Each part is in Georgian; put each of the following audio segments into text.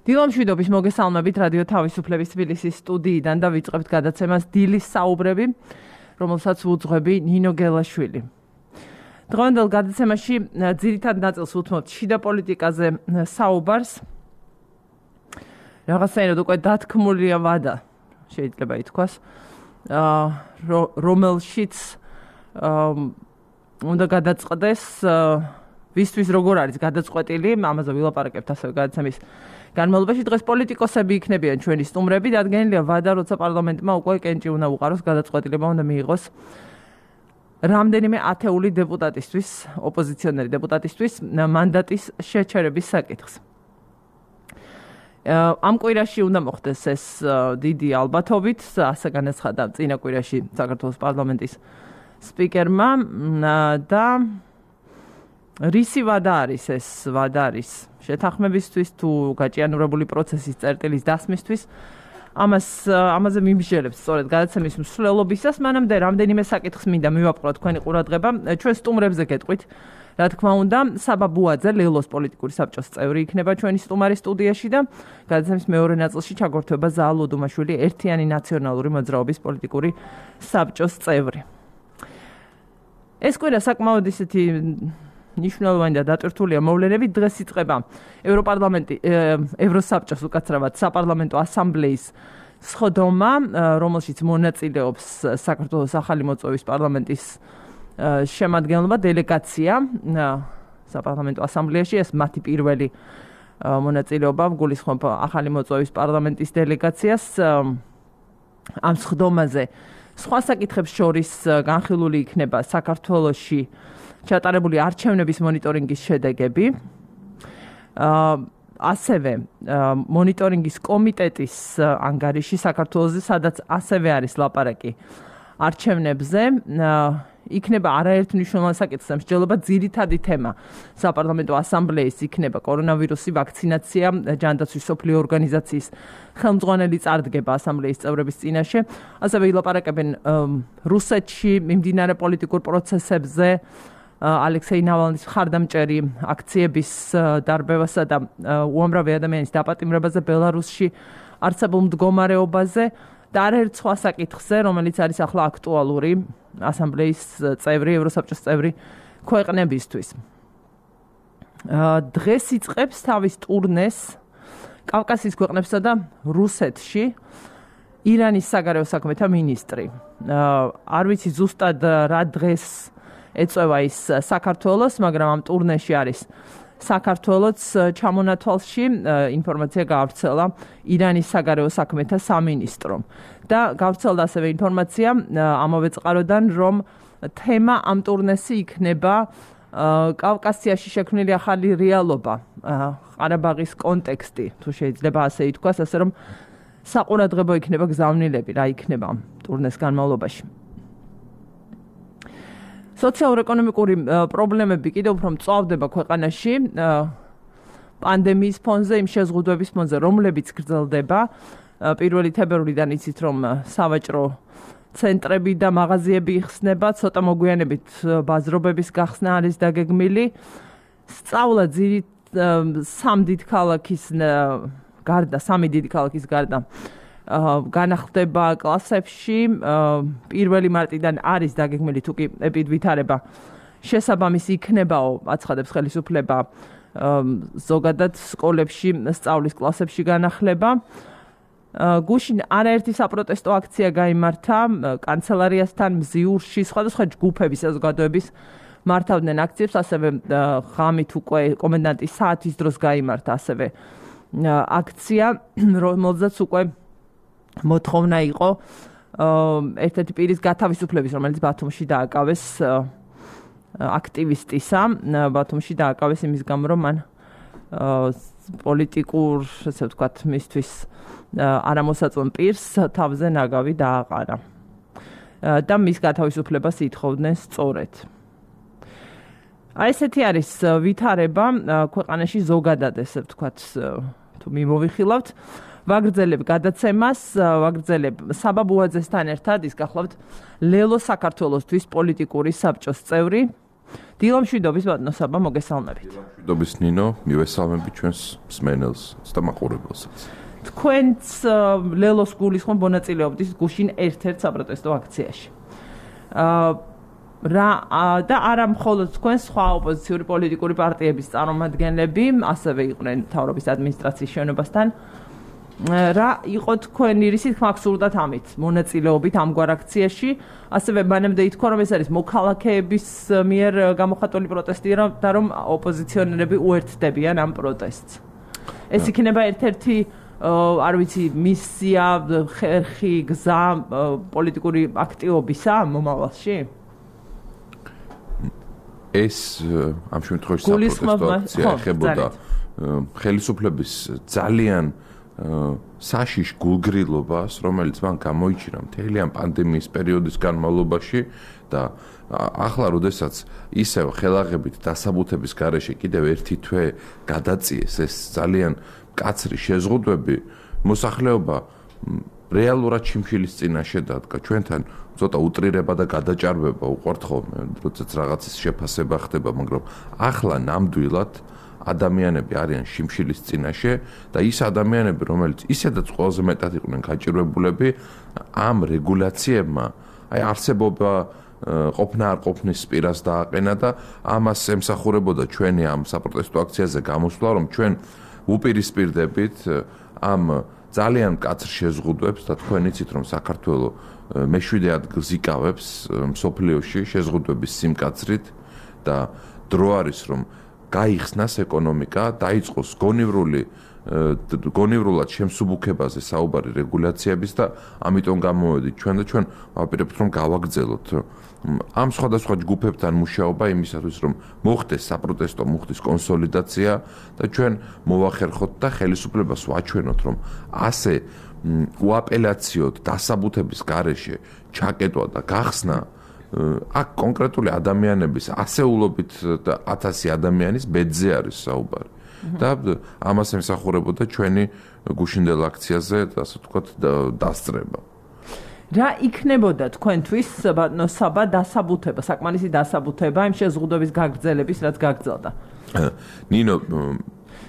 დილამშვიდობის მოგესალმებით რადიო თავისუფლების თბილისის სტუდიიდან და ვიწყებთ გადაცემას დილის საუბრები, რომელსაც უძღვები ნინო გელაშვილი. დღევანდელ გადაცემაში ძირითად ნაწილს უთმობთ შიდა პოლიტიკაზე საუბარს. რაღაცნაირად უკვე დათქმულია ვადა, შეიძლება ითქვას, რომელშიც უნდა გადაწყდეს ვისთვის როგორ არის გადაწყვეტილი, ამაზე ვილაპარაკებთ ასევე გადაცემის განმავლობაში. დღეს პოლიტიკოსები იქნებიან ჩვენი სტუმრები, დადგენილია ვადა, როცა პარლამენტმა უკვე კენჭი უნდა უყაროს, გადაწყვეტილება უნდა მიიღოს რამდენიმე ათეული დეპუტატისთვის, ოპოზიციონერი დეპუტატისთვის მანდატის შეჩერების საკითხს. ამ კვირაში უნდა მოხდეს ეს დიდი ალბათობით, ასე განაცხადა წინა კვირაში საქართველოს პარლამენტის სპიკერმა და რისი ვადა არის ეს ვადა არის შეთანხმებისთვის თუ გაჭიანურებული პროცესის წერტილის დასმისთვის ამაზე მიმსჯელებს სწორედ გადაცემის მსვლელობისას მანამდე რამდენიმე საკითხს მინდა მივაპყროთ თქვენი ყურადღება ჩვენ სტუმრებზე გეტყვით რა თქმა უნდა საბა ბუაძე ლელოს პოლიტიკური საბჭოს წევრი იქნება ჩვენი სტუმარი სტუდიაში და გადაცემის მეორე ნაწილში ჩაგორთვება ზაალ ოდუმაშვილი ერთიანი ნაციონალური მოძრაობის პოლიტიკური საბჭოს წევრი ეს კვირა საკმაოდ ისეთი ნიშნულოვანი და დატვირთულია მოვლენებით დღეს იწყება ევროსაბჭოს უკაცრავად საპარლამენტო ასამბლეის სხდომა, რომელშიც მონაწილეობს საქართველოს ახალი მოწვევის პარლამენტის შემადგენლობა დელეგაცია საპარლამენტო ასამბლეაში ეს მათი პირველი მონაწილეობა გულისხმობ ახალი მოწვევის პარლამენტის დელეგაციას ამ სხდომაზე სხვა საკითხებს შორის განხილული იქნება საქართველოში ჩატარებული არჩევნების მონიტორინგის შედეგები. ასევე მონიტორინგის კომიტეტის ანგარიში საქართველოზე, სადაც ასევე არის ლაპარაკი არჩევნებზე. იქნება არაერთ მნიშვნელოვან საკითხს მსჯელობა ძირითადი თემა საპარლამენტო ასამბლეის იქნება კორონავირუსი, ვაქცინაცია, ჯანდაცვის სოფლიო ორგანიზაციის ხელმძღვანელი წარდგება ასამბლეის წევრების წინაშე. ასევე ილაპარაკებენ რუსეთში მიმდინარე პოლიტიკურ პროცესებზე ალექსეი ნავალნის მხარდამჭერი აქციების დარბევასა და უამრავი ადამიანის დაპატიმრებაზე ბელარუსში არსებულ მდგომარეობაზე და არაერთ სხვა საკითხზე, რომელიც არის ახლა აქტუალური ასამბლეის წევრი, ევროსაბჭოს წევრი ქვეყნებისთვის. დღეს იწყებს თავის ტურნეს კავკასიის ქვეყნებსა და რუსეთში ირანის საგარეო საქმეთა მინისტრი. არ ვიცი ზუსტად რა დღეს ეწევა ის საქართველოს, მაგრამ ამ ტურნეში არის საქართველოს ჩამონათვალში ინფორმაცია გავრცელა ირანის საგარეო საქმეთა სამინისტრომ და გავრცელდა ასევე ინფორმაცია ამავე წყაროდან, რომ თემა ამ ტურნესი იქნება კავკასიაში შექმნილი ახალი რეალობა, ყარაბაღის კონტექსტი, თუ შეიძლება ასე ითქვას, ასე რომ საყურადღებო იქნება გზავნილები, რა იქნება ამ ტურნეს განმავლობაში. სოციალურ-ეკონომიკური პრობლემები კიდევ უფრო მწვავდება ქვეყანაში პანდემიის ფონზე, იმ შეზღუდვების ფონზე, რომლებიც გრძელდება. 1 თებერვლიდან იცით, რომ სავაჭრო ცენტრები და მაღაზიები იხსნება, ცოტა მოგვიანებით ბაზრობების გახსნა არის დაგეგმილი. სწავლა სამი დიდი ქალაქის გარდა განახლდება კლასებში 1 მარტიდან არის დაგეგმილი თუ კი ვითარება შესაბამისი იქნებაო აცხადებს ხელისუფლება ზოგადად სკოლებში სწავლის კლასებში განახლება გუშინ არაერთი საპროტესტო აქცია გაიმართა კანცელარიასთან მზიურში სხვადასხვა ჯგუფების საზოგადოების მართავდნენ აქციებს ასევე ღამით უკვე კომენდანტის საათის დროს გაიმართა ასევე აქცია რომელზეც უკვე მოთხოვნა იყო ერთ-ერთი პირის გათავისუფლების, რომელიც ბათუმში დააკავეს აქტივისტისა, ბათუმში დააკავეს იმის გამო, რომ მან პოლიტიკურ, ასე ვთქვათ, მისთვის არამოსაწვევ პირს თავზე ნაგავი დააყარა. და მის გათავისუფლებას ითხოვდნენ სწორედ. ესეთი არის ვითარება ქვეყანაში ზოგადად, ასე ვთქვათ, თუ მიმოვიხილავთ. ვაგრძელებ გადაცემას, ვაგრძელებ საბა ბუაძესთან ერთად, ის გახლავთ ლელო საქართველოსთვის პოლიტიკური საბჭოს წევრი. დილამშვიდობის ბატონო საბა მოგესალმებით. დილამშვიდობის ნინო, მივესალმებით ჩვენს მსმენელს და მაყურებელსაც. თქვენც ლელოს გულისხმობ მონაწილეობთ გუშინ ერთ-ერთ საპროტესტო აქციაში. და არა მხოლოდ თქვენ სხვა ოპოზიციური პოლიტიკური პარტიების წარმომადგენლები, ასევე იყვნენ მთავრობის ადმინისტრაციის შენობასთან. რა იყო თქვენი რისი თქმა გსურდათ ამით მონაწილეობით ამგვარ აქციაში, ასევე მანამდე ითქვა, რომ ეს არის მოქალაქეების მიერ გამოხატული პროტესტი და რომ ოპოზიციონერები უერთდებიან ამ პროტესტს. ეს იქნება ერთ-ერთი არ ვიცი მისია, ხერხი, გზა პოლიტიკური აქტივობისა მომავალში? ეს ამ შემთხვევაში საპროტესტო აქცია ეხებოდა ხელისუფლების ძალიან საშიშ გულგრილობას, რომელიც მან გამოიჩინა მთელი ამ პანდემიის პერიოდის განმავლობაში და ახლა როდესაც ისევ ხელაღებით დასაბუთების გარეშე კიდევ ერთი თვე გადაწიეს ეს ძალიან მკაცრი შეზღუდვები, მოსახლეობა რეალურად შიმშილის წინაშე დადგა. ჩვენთან ცოტა უტრირება და გადაჭარბება უყვართ ხოლმე, როდესაც რაღაცის შეფასება ხდება, მაგრამ ახლა ნამდვილად ადამიანები არიან შიმშილის წინაშე და ის ადამიანები, რომელიც ისედაც ყველაზე მეტად იყვნენ გაჭირვებულები, ამ რეგულაციებმა აი არსებობა ყოფნა არ ყოფნის პირას დააყენა და ამას ემსახურებოდა ჩვენი ამ საპროტესტო აქციაზე გამოსვლა, რომ ჩვენ უპირისპირდებით ამ ძალიან მკაცრ შეზღუდვებს და თქვენ იცით, რომ საქართველოს მე-7 ადგილს იკავებს მსოფლიოში შეზღუდვების სიმკაცრით და დრო არის, რომ გაიხსნას ეკონომიკა, დაიწყოს გონივრულად შემსუბუქებაზე საუბარი რეგულაციების და ამიტომ გამოვედით ჩვენ და ჩვენ ვაპირებთ, რომ გავაგრძელოთ ამ სხვადასხვა ჯგუფებთან მუშაობა იმისათვის, რომ მოხდეს საპროტესტო მუხტის კონსოლიდაცია და ჩვენ მოვახერხოთ და ხელისუფლებას ვაჩვენოთ, რომ ასე უაპელაციოდ დასაბუთების გარეშე ჩაკეტვა და გახსნა აქ კონკრეტული ადამიანების ასეულობით და 1000 ადამიანის ბედზე არის საუბარი. და ამას ემსახურებოდა ჩვენი გუშინდელ აქციაზე, ასე ვთქვათ, დასწრება. რა იქნებოდა თქვენთვის ბატონო საბა დასაბუთება, საკმარისი დასაბუთება იმ შეზღუდვების გაგრძელების, რაც გაგრძელდა? ნინო,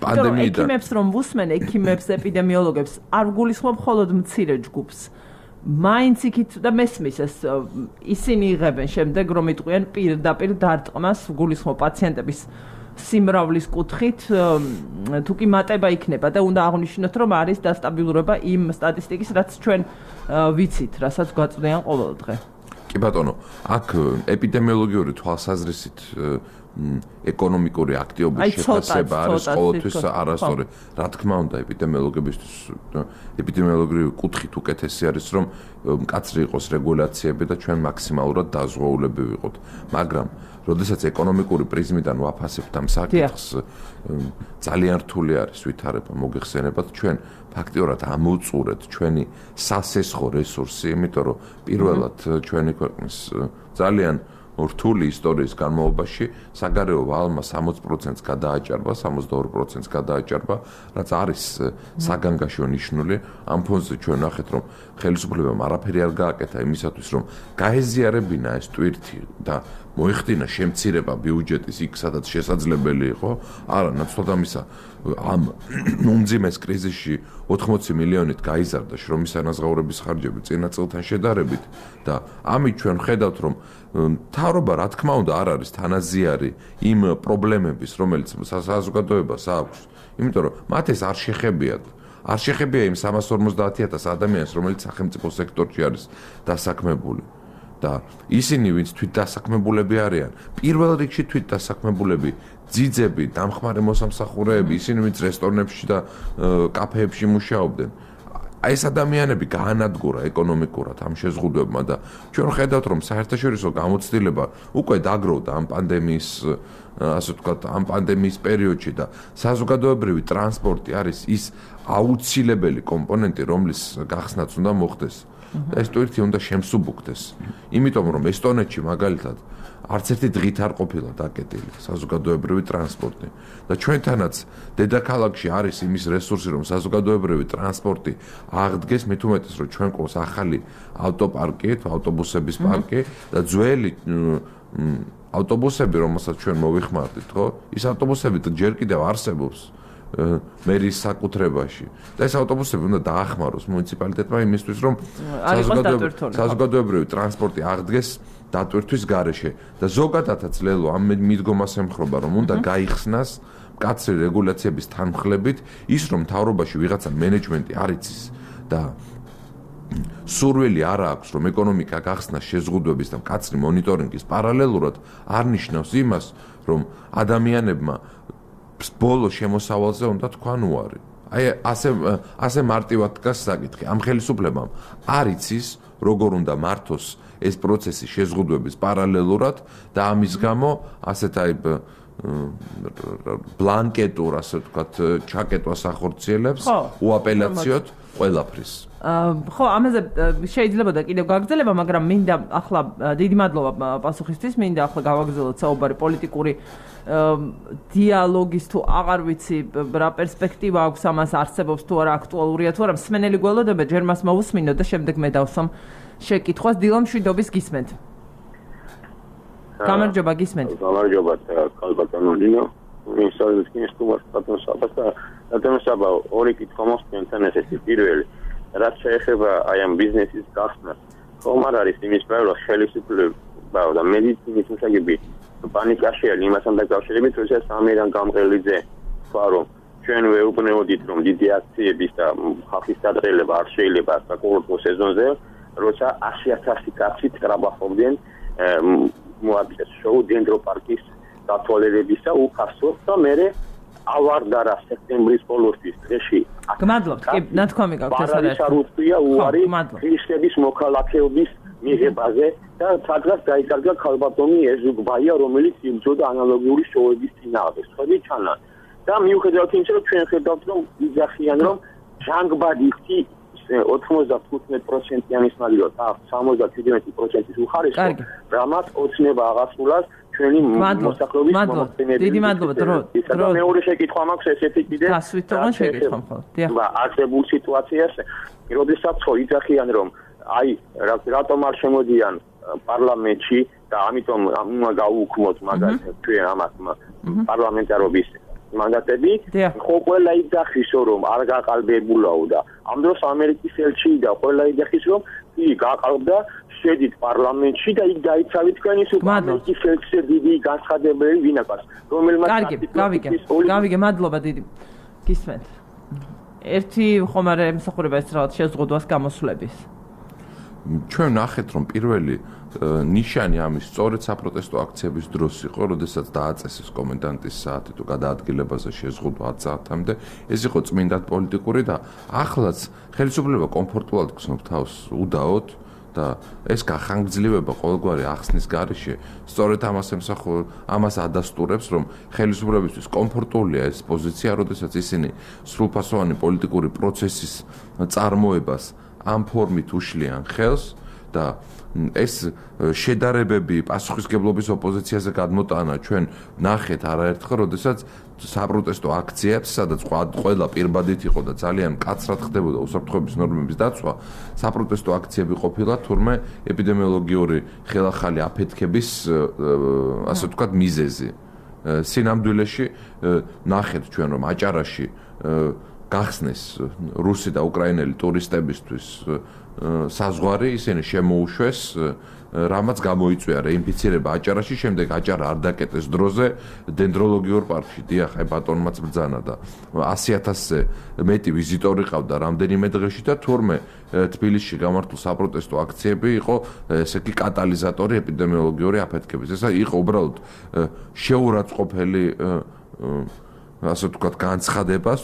პანდემიიდან ექიმებს რომ ვუსმენ, ექიმებს, ეპიდემიოლოგებს არ გულისხმობ მხოლოდ მცირე ჯგუფს. მაინც იქით და მესმის ეს ისინი იღებენ შემდეგ რომ იტყვიან პირდაპირ დარტყმას გულისხმობ პაციენტების სიმრავლის კუთხით თუ კი მატება იქნება და უნდა აღნიშნოთ რომ არის დასტაბილურება იმ სტატისტიკის რაც ჩვენ ვიცით, რასაც გვაწვდიან ყოველ დღე. კი ბატონო, აქ ეპიდემიოლოგიური თვალსაზრისით ეკონომიკური აქტივობის შეფასება არის ყოველთვის არასწორი. რა თქმა უნდა, ეპიდემიოლოგებისთვის ეპიდემიოლოგიური კუთხით უკეთესი არის, რომ მკაცრი იყოს რეგულაციები და ჩვენ მაქსიმალურად დაზღვეულები ვიყოთ. მაგრამ როდესაც ეკონომიკური პრიზმიდან ვაფასებთ ამ საკითხს, ძალიან რთული არის ვითარება მოგეხსენებათ ჩვენ ფაქტიურად ამოვწურეთ ჩვენი სასესხო რესურსი, იმიტომ რომ პირველად ჩვენი ქვეყნის ძალიან რთული ისტორიის განმავლობაში საგარეო ვალმა 60%-ს გადააჭარბა, 62%-ს გადააჭარბა, რაც არის საგანგაშო ნიშნული. ამ ფონზე ჩვენ ნახეთ, რომ ხელისუფლებამ არაფერი არ გააკეთა იმისათვის, რომ გაეზიარებინა ეს ტვირთი და მოიხდინა შემცირება ბიუჯეტის იქ, სადაც შესაძლებელი იყო. არა, ნაცვლად ამისა, ამ უმძიმეს კრიზისში 80 მილიონით გაიზარდა შრომის ანაზღაურების ხარჯები წინა წელთან შედარებით და ამით ჩვენ ხედავთ, რომ მთავრობა რა თქმა უნდა არ არის თანაზიარი იმ პრობლემების, რომელიც საზოგადოებას აქვს, იმიტომ რომ მათ ეს არ შეხებიათ. არ შეხებია იმ 350,000 ადამიანს, რომელიც სახელმწიფო სექტორში არის დასაქმებული. და ისინი, ვინც თვით დასაქმებულები არიან, პირველ რიგში თვით დასაქმებულები, ძიძები, დამხმარე მოსამსახურეები, ისინი, ვინც რესტორნებში და კაფეებში მუშაობდნენ. ეს ადამიანები გაანადგურა ეკონომიკურად ამ შეზღუდვებმა და ჩვენ ხედავთ, რომ საერთაშორისო გამოცდილება უკვე დაგროვდა ამ პანდემიის, ასე ვთქვათ, ამ პანდემიის პერიოდში და საზოგადოებრივი ტრანსპორტი არის ის აუცილებელი კომპონენტი, რომლის გახსნაც უნდა მოხდეს. ეს ტვირთი უნდა შემსუბუქდეს. იმიტომ რომ ესტონეთში მაგალითად არც ერთი დღით არ ყოფილა დაკეტილი საზოგადოებრივი ტრანსპორტი და ჩვენთანაც დედაქალაქში არის იმის რესურსი, რომ საზოგადოებრივი ტრანსპორტი აღდგეს, მით უმეტეს რომ ჩვენ ყავს ახალი ავტოპარკი, ავტობუსების პარკი და ძველი ავტობუსები, რომელსაც ჩვენ მოვიხმარდით, ხო? ის ავტობუსები ჯერ კიდევ არსებობს მერის საკუთრებაში. და ეს ავტობუსები უნდა დაახმაროს მუნიციპალიტეტმა იმისთვის, რომ საზოგადოებრივი ტრანსპორტი აღდგეს დატვირთვის გარეშე. და ზოგადადაც ლელო ამ მიდგომას ემხრობა, რომ უნდა გაიხსნას მკაცრი რეგულაციების თანმხლებით ის, რომ მთავრობაში ვიღაცა მენეჯმენტი არ იცის და სურვილი არ აქვს, რომ ეკონომიკა გახსნას შეზღუდვების და მკაცრი მონიტორინგის პარალელურად არ ნიშნავს იმას, რომ ადამიანებმა ბოლო შემოსავალზე უნდა თქვან უარი. აი ასე მარტივად დგას საკითხი. ამ ხელისუფლებამ არ იცის, როგორ უნდა მართოს ეს პროცესი შეზღუდვების პარალელურად და ამის გამო ასეთ აი ბლანკეტურ, ასე ვთქვათ, ჩაკეტვას ახორციელებს უაპელაციოდ ყველაფრის. ხო, ამაზე შეიძლება და კიდევ გაგრძელება, მაგრამ მინდა ახლა დიდი მადლობა პასუხისთვის, მინდა ახლა გავაგრძელოთ საუბარი პოლიტიკური დიალოგის თუ აღარ ვიცი რა პერსპექტივა აქვს ამას არსებობს თუ არა აქტუალურია თუ არა მსმენელი გველოდება ჯერ მას მოусმინოთ და შემდეგ მე დავსვამ შეკითხვას დილა მშვიდობის გისმენთ. გამარჯობა გისმენთ. გამარჯობა კალბატონო დინო. მისალის კინსტუმას პატონსაბასა და ორი კითხვა მოსწონთან ესეთი პირველი რაც შეეხება აი ამ ბიზნესის გახსნას ხომ არ არის იმის პრობლემა ხელისუფლება და მედიცინის მსახიობი პანიკაშია იმასთან დაკავშირებით როდესაც ამერან გამყრელიძე თქვა რომ ჩვენ ვეუბნეოდით რომ დიდი აქციების და ხალხის დაძრელება არ შეიძლება საკურორტო სეზონზე როცა 100,000 კაცი ტრაბახობდნენ მოაწეს შოუ დენდროპარკის დათვალიერებისა უფასოდ და მე ავარდარა სექტემბრის ბოლოსთვის დღეში. გმადლობთ, კი, ნათქვამი გაქვთ ეს არის. არუსია უარი ქრისტების მოქალაქეობის მიღებაზე და სადღაც გაიკარგა ქალბატონი ეზუგბაია, რომელიც იბრძოდა ანალოგიური შოუების წინააღმდეგ. ხოდი ჩანა. და მიუხედავად იმისა, რომ ჩვენ ხედავთ, რომ იძახიან, რომ ჟანგბადიხი 95%-იანი სმალიო და 77%-ის უხარისხო, რამაც ოცნება აღასრულას ჩვენი მოსახლეობის მომხდენების. დიდი მადლობა დრო. მეორე შეკითხვა მაქვს ესეთი კიდე. გასვითოვან შეკითხვა მხოლოდ. დიახ. არსებულ სიტუაციას, როდესაც ხო იძახიან, რომ აი რატომ არ შემოდიან პარლამენტში და ამიტომ უნდა გაუქმოთ მაგალითად ჩვენ ამას პარლამენტარობის მანდატები, ხო ყველა იძახის რომ არ გაყალბებულაო და ამ დროს ამერიკის ელჩი და ყველა იძახის რომ კი გაყალბდა შედით პარლამენტში და იქ დაიცავით თქვენი ამერიკის ელჩზე დიდი განცხადებელი ვინაკას რომელმაც გავიგე მადლობა დიდი გისმენთ ერთი ხომარე მსახურება ეს რაღაც შეზღუდვას გამოსვლების ჩვენ ნახეთ რომ პირველი ნიშანი ამის სწორედ საპროტესტო აქციების დროს იყო, როდესაც დააწესეს კომენდანტის საათი თუ გადაადგილებაზე შეზღუდვა 10 საათამდე, ეს იყო წმინდად პოლიტიკური და ახლაც ხელისუფლება კომფორტულად გრძნობს თავს უდაოდ და ეს გახანგრძლივება ყოველგვარი ახსნის გარეშე სწორედ ამას ადასტურებს, რომ ხელისუფლებისთვის კომფორტულია ეს პოზიცია, როდესაც ისინი სრულფასოვანი პოლიტიკური პროცესის წარმოებას ამ ფორმით უშლიან ხელს და ეს შედარებები პასუხისგებლობის ოპოზიციაზე გადმოტანა ჩვენ ნახეთ არაერთხელ, როდესაც საპროტესტო აქციებს, სადაც ყველა პირბადით იყო და ძალიან მკაცრად ხდებოდა უსაფრთხოების ნორმების დაცვა, საპროტესტო აქციები ყოფილა თურმე ეპიდემიოლოგიური ხელახალი აფეთქების, ასე ვთქვათ, მიზეზი. სინამდვილეში ნახეთ ჩვენ, რომ აჭარაში გახსნეს რუსი და უკრაინელი ტურისტებისთვის საზღვარი, ისინი შემოუშვეს, რამაც გამოიწვია რეინფიცირება აჭარაში, შემდეგ აჭარა არ დაკეტეს დროზე დენდროლოგიურ პარკში. დიახ, აი ბატონმაც ბრძანა და 100,000-ზე მეტი ვიზიტორი ყავდა რამდენიმე დღეში და თურმე თბილისში გამართულ საპროტესტო აქციები იყო ესე იგი კატალიზატორი ეპიდემიოლოგიური აფეთქების. ეს იყო უბრალოდ შეურაცხყოფელი ასე ვთქვათ განცხადებას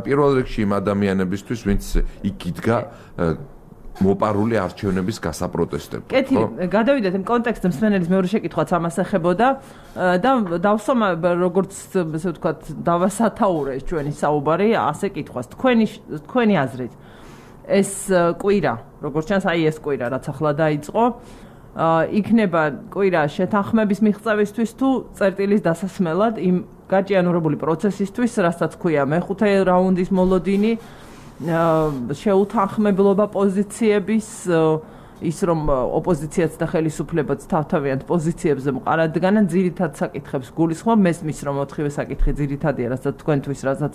პირველ რიგში იმ ადამიანებისთვის, ვინც იქ იდგა მოპარული არჩევნების გასაპროტესტებლად. კეთილი, გადავიდეთ იმ კონტექსტზე, მსმენელის მეორე შეკითხვაც ამას ეხებოდა და დავსვამ როგორც ასე ვთქვათ დავასათაურე ჩვენი საუბარი ასე კითხვას. თქვენი აზრით ეს კვირა, როგორც ჩანს, აი ეს კვირა, რაც ახლა დაიწყო, იქნება კვირა შეთანხმების მიღწევისთვის თუ წერტილის დასასმელად იმ გაჭიანურებული პროცესისთვის, რასაც ქვია მეხუთე რაუნდის მოლოდინი, შეუთანხმებლობა პოზიციების ის რომ ოპოზიციაც და ხელისუფლებაც თავთავიანთ პოზიციებზე მყარადგანან ძირითად საკითხებს გულისხმობ მესმის რომ 4-ვე საკითხი ძირითადია რასაც თქვენთვის რასაც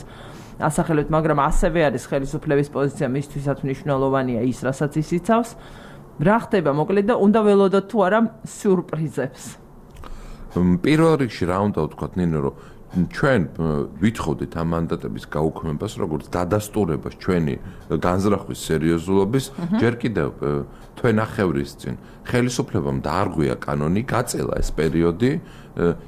ასახელებთ მაგრამ ასევე არის ხელისუფლების პოზიცია მისთვისაც მნიშვნელოვანია ის რასაც ის იცავს რა ხდება მოკლედ და უნდა ველოდოთ თუ არა სიურპრიზებს პირველ რიგში რა უნდა ვთქვათ ნინო რომ ჩვენ ვითხოვდით ამ მანდატების გაუქმებას როგორც დადასტურებას ჩვენი განზრახვის სერიოზულობის ჯერ კიდევ თვენახევრის წინ ხელისუფლებამ დაარღვია კანონი გაწელა ეს პერიოდი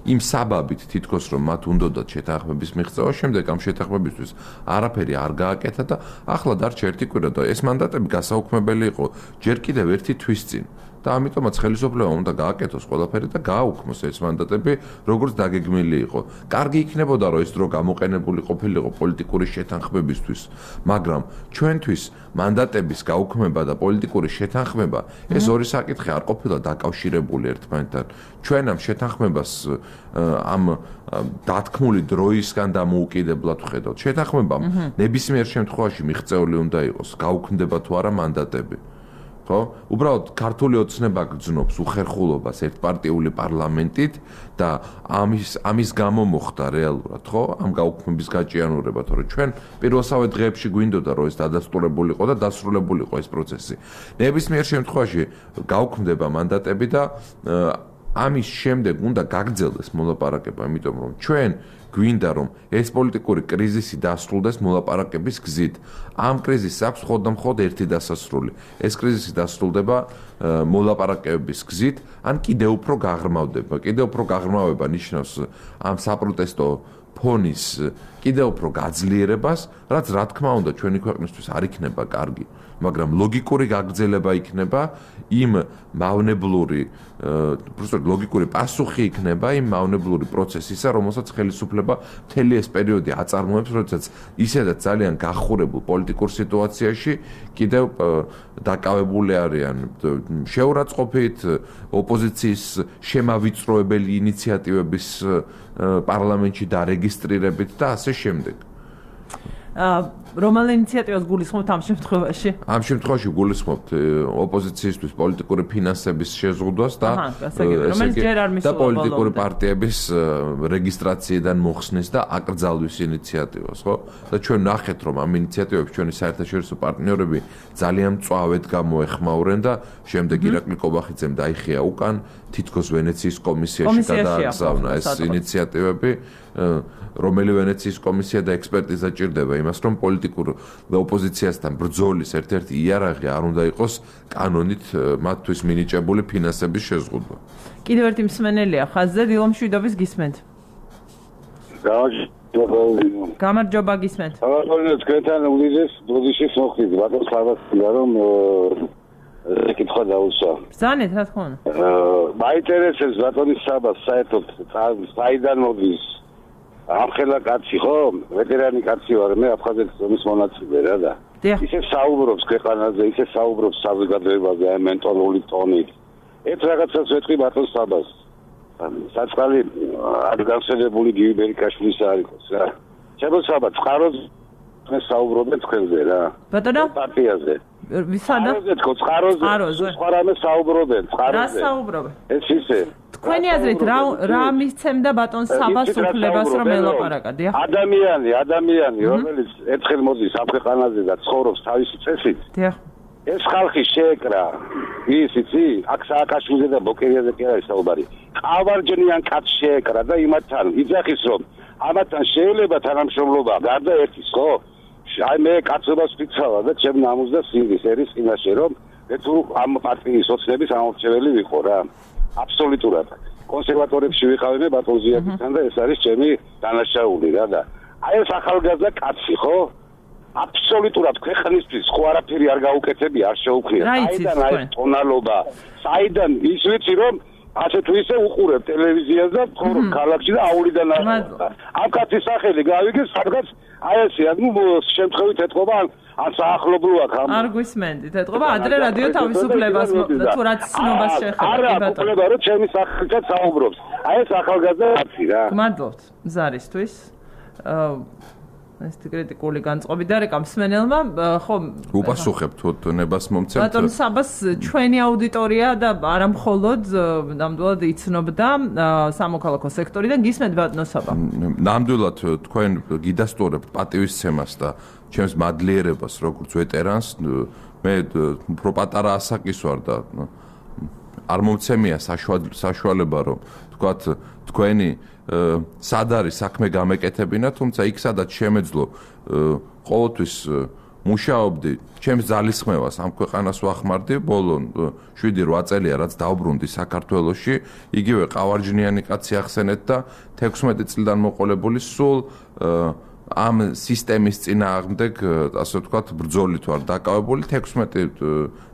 იმ საბაბით თითქოს რომ მათ უნდათ შეთანხმების მიღწევა შემდეგ ამ შეთანხმებისთვის არაფერი არ გააკეთა და ახლა დარჩა ერთი კვირა და ეს მანდატები გასაუქმებელი იყო ჯერ კიდევ ერთი თვის წინ და ამიტომაც ხელისუფლებამ უნდა გააკეთოს ყველაფერი და გააუქმოს ეს მანდატები როგორც დაგეგმილი იყო. კარგი იქნებოდა რომ ეს დრო გამოყენებული ყოფილიყო პოლიტიკური შეთანხმებისთვის, მაგრამ ჩვენთვის მანდატების გაუქმება და პოლიტიკური შეთანხმება ეს ორი საკითხი არ ყოფილა დაკავშირებული ერთმანეთთან. ჩვენ ამ შეთანხმებას ამ დათქმული დროისგან დამოუკიდებლად ვხედავთ. შეთანხმებამ ნებისმიერ შემთხვევაში მიღწეული უნდა იყოს, გაუქმდება თუ არა მანდატები. ხო? უბრალოდ ქართული ოცნება გძნობს უხერხულობას ერთპარტიული პარლამენტით და ამის გამო მოხდა რეალურად, ხო? ამ გაუქმების გაჭიანურება, თორე ჩვენ პირველსავე დღეებში გვინდოდა რომ ეს დადასტურებულიყო და დასრულებულიყო ეს პროცესი. ნებისმიერ შემთხვევაში გაუქმდება მანდატები და ამის შემდეგ უნდა გაგრძელდეს მოლაპარაკება, იმიტომ რომ ჩვენ გვინდა რომ ეს პოლიტიკური კრიზისი დასრულდეს მოლაპარაკების გზით. ამ კრიზისს აქვს მხოლოდ ერთი დასასრული. ეს კრიზისი დასრულდება მოლაპარაკების გზით, ან კიდევ უფრო გაღრმავდება. კიდევ უფრო გაღრმავება ნიშნავს ამ საპროტესტო ფონის კიდევ უფრო გაძლიერებას, რაც რა თქმა უნდა ჩვენი ქვეყნისთვის არ იქნება კარგი, მაგრამ ლოგიკური გაგრძელება იქნება იმ მავნებლური ლოგიკური პასუხი იქნება იმ მავნებლური პროცესისა, რომელსაც ხელისუფლება მთელი ეს პერიოდი აწარმოებს, როდესაც ისედაც ძალიან გახურებულ პოლიტიკურ სიტუაციაში კიდევ დაკავებული არიან შეურაცხყოფით, ოპოზიციის შემავიწროებელი ინიციატივების პარლამენტში დარეგისტრირებით და ასე შემდეგ. რომელ ინიციატივას გულისხმობთ ამ შემთხვევაში? ამ შემთხვევაში გულისხმობთ ოპოზიციისთვის პოლიტიკური ფინანსების შეზღუდვას და პოლიტიკური პარტიების რეგისტრაციიდან მოხსნის და აკრძალვის ინიციატივას, ხო? და ჩვენ ნახეთ, რომ ამ ინიციატივებს ჩვენი საერთაშორისო პარტნიორები ძალიან მწვავედ გამოეხმაურენ და შემდეგ ირაკლი კობახიძემ დაიხია უკან თითქოს ვენეციის კომისიაში გადააგზავნა ეს ინიციატივები, რომელი ვენეციის კომისია და ექსპერტიზა ჭირდება იმას, რომ პოლიტიკურ ოპოზიციასთან ბრძოლის ერთ-ერთი იარაღი არ უნდა იყოს კანონით მათთვის მინიჭებული ფინანსების შეზღუდვა. კიდევ ერთი მსმენელია ხაზზე, დილო მშვიდობის გისმენთ. გამარჯობა გისმენთ. თქვენთან უდიდეს ბოდიშის მოხდით, ბატონს ხარბასია რომ კითხვა დაუსვა. ბრძანეთ, რა თქმა უნდა. მაინტერესებს ბატონის საბას საერთოდ საიდან მოდის ამხელა კაცი ხო? ვეტერანი კაცი ვარ მე აფხაზეთის ომის მონაწილე რა და ისე საუბრობს ქვეყანაზე, ისე საუბრობს საზოგადოებაზე აი მენტალური ტონით. ერთ რაღაცას ვეთქვი ბატონს საბას. საწყალი ადგანსელებული გივი ბერიკაშვილის არ იყოს რა. შემოსაბა წყაროს მე საუბრობენ თქვენზე რა. ბატონო პარტიაზე. ვისადა? წყაროზე. სხვა რამე საუბრობენ, წყაროზე. რა საუბრობენ? ეს ისე. თქვენი აზრით რა მისცემდა ბატონ საბას უფლებას რომ ელაპარაკადია? ადამიანი, რომელიც ერთხელ მოდის ამ ქვეყანაზე და ცხოვრობს თავისი წესით. დიახ. ეს ხალხი შეეკრა, იცი, აქ სააკაშვილზე და ბოკერიაზე კი არის საუბარი. ყავარჯნიან კაცს შეეკრა და იმათთან იძახის რომ ამათთან შეიძლება თანამშრომლობა გარდა ერთის, ხო? აი მე კაცობას ვფიცავა და ჩემ ნამუს და სინდის ერის წინაშე რომ თუ ამ პარტიის ოცნების ამორჩეველი ვიყო რა. აბსოლუტურად. კონსერვატორებში ვიყავი მე ბატონ ზიათთან და ეს არის ჩემი დანაშაული რა და აი ეს ახალგაზრდა კაცი ხო? აბსოლუტურად ქვეყნისთვის ხო არაფერი არ გაუკეთებია, არ შეუქმნია. საიდან აი ტონალობა? საიდან ის ვიცი რომ ასე თუ ისე უყურებ ტელევიზიას და ცხოვრობ ქალაქში და აულიდან არ. ამ კაცის სახელი გავიგე სადღაც აი ესე ანუ შემთხვევით ეთყობა ან საახლობლოა ხომ? არ გვისმენდით, ეთყობა ადრე რადიო თავისუფლებას თუ რაც ცნობას შეეხება. არა, უყურება რომ ჩემი სახელით საუბრობს. აი ეს ახალგაზრდა კაცი რა. გმადლობთ ზარისთვის. ეს კრიტიკული განწყობი და რეკამ მსმენელმა ხო უპასუხებ თუ ნებას მომცემთ ბატონ საბას ჩვენი აუდიტორია და არა მხოლოდ ნამდვილად იცნობდა სამოქალაქო სექტორიდან გისმენთ ბატონ საბა ნამდვილად თქვენ გიდასტურებთ პატივისცემას და ჩემს მადლიერებას როგორც ვეტერანს მე უფრო პატარა ასაკის ვარ და არ მომცემია საშუალება რომ თქვათ თქვენი სად არის საქმე გამეკეთებინა თუმცა იქ სადაც შემეძლო ყოველთვის მუშაობდი ჩემს ძალისხმევას ამ ქვეყანას ვახმარდი ბოლო 7-8 წელია რაც დავბრუნდი საქართველოში იგივე ყავარჯნიანი კაცი ახსენეთ და 16 წლიდან მოყოლებული სულ ამ სისტემის წინააღმდეგ ასე ვთქვათ ბრძოლით ვარ დაკავებული 16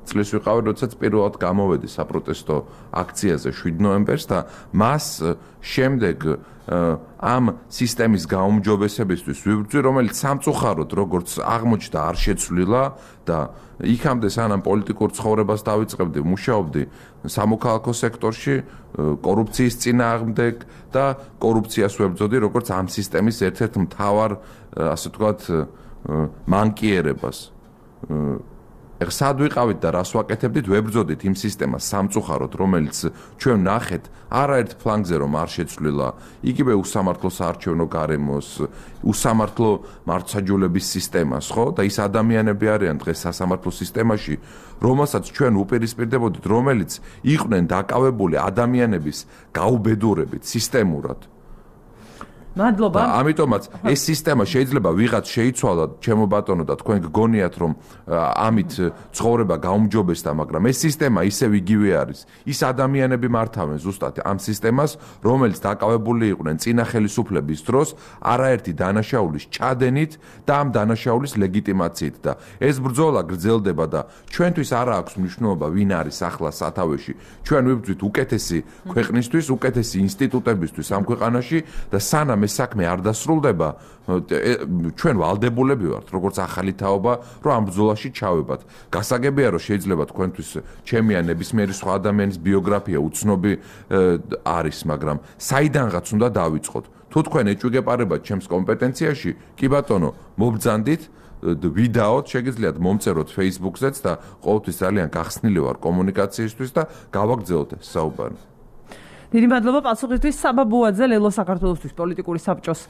წლის ვიყავი როდესაც პირველად გამოვედი საპროტესტო აქციაზე 7 ნოემბერს და მას შემდეგ ამ სისტემის გაუმჯობესებისთვის ვიბრძვი რომელიც სამწუხაროდ როგორც აღმოჩნდა არ შეცვლილა და იქამდე სანამ პოლიტიკურ ცხოვრებას დავიწყებდი მუშაობდი სამოქალაქო სექტორში კორუფციის წინააღმდეგ და კორუფციას ვებრძოდი როგორც ამ სისტემის ერთ-ერთ მთავარ ასე ვთქვათ მანკიერებას ეხლა სად ვიყავით და რას ვაკეთებდით ვებრძოდით იმ სისტემას სამწუხაროდ რომელიც ჩვენ ნახეთ არაერთ ფლანგზე რომ არ შეცვლილა იგივე უსამართლო საარჩევნო გარემოს უსამართლო მართლმსაჯულების სისტემას ხო და ის ადამიანები არიან დღეს სასამართლო სისტემაში რომელსაც ჩვენ უპირისპირდებოდით რომელიც იყვნენ დაკავებული ადამიანების გაუბედურებით სისტემურად მადლობა. ამიტომაც ეს სისტემა შეიძლება ვიღაც შეიცვალა, ჩემო ბატონო და თქვენ გგონიათ რომ ამით ცხოვრება გაუმჯობესდა, მაგრამ ეს სისტემა ისევ იგივე არის. ის ადამიანები მართავენ ზუსტად ამ სისტემას, რომელიც დაკავებული იყვნენ წინა ხელისუფლების დროს არაერთი დანაშაულის ჩადენით და ამ დანაშაულის ლეგიტიმაციით და ეს ბრძოლა გრძელდება და ჩვენთვის არ აქვს მნიშვნელობა ვინ არის ახლა სათავეში. ჩვენ ვიბრძვით უკეთესი ქვეყნისთვის, უკეთესი ინსტიტუტებისთვის ამ ქვეყანაში და სანამ ეს საქმე არ დასრულდება, ჩვენ ვალდებულები ვართ, როგორც ახალი თაობა, რომ ამ ბრძოლაში ჩავებათ. გასაგებია, რომ შეიძლება თქვენთვის ჩემი ან ნებისმიერი სხვა ადამიანის ბიოგრაფია უცნობი არის, მაგრამ საიდანღაც უნდა დავიწყოთ. თუ თქვენ ეჭვგეპარებათ ჩემს კომპეტენციაში, კი ბატონო, მობრძანდით ვიდაოთ, შეგიძლიათ მომწეროთ Facebook-ზეც და ყოველთვის ძალიან გახსნილი ვარ კომუნიკაციისთვის და გავაგრძელოთ ეს საუბარი. დიდი მადლობა პასუხისთვის. საბა ბუაძე ლელო საქართველოსთვის პოლიტიკური საბჭოს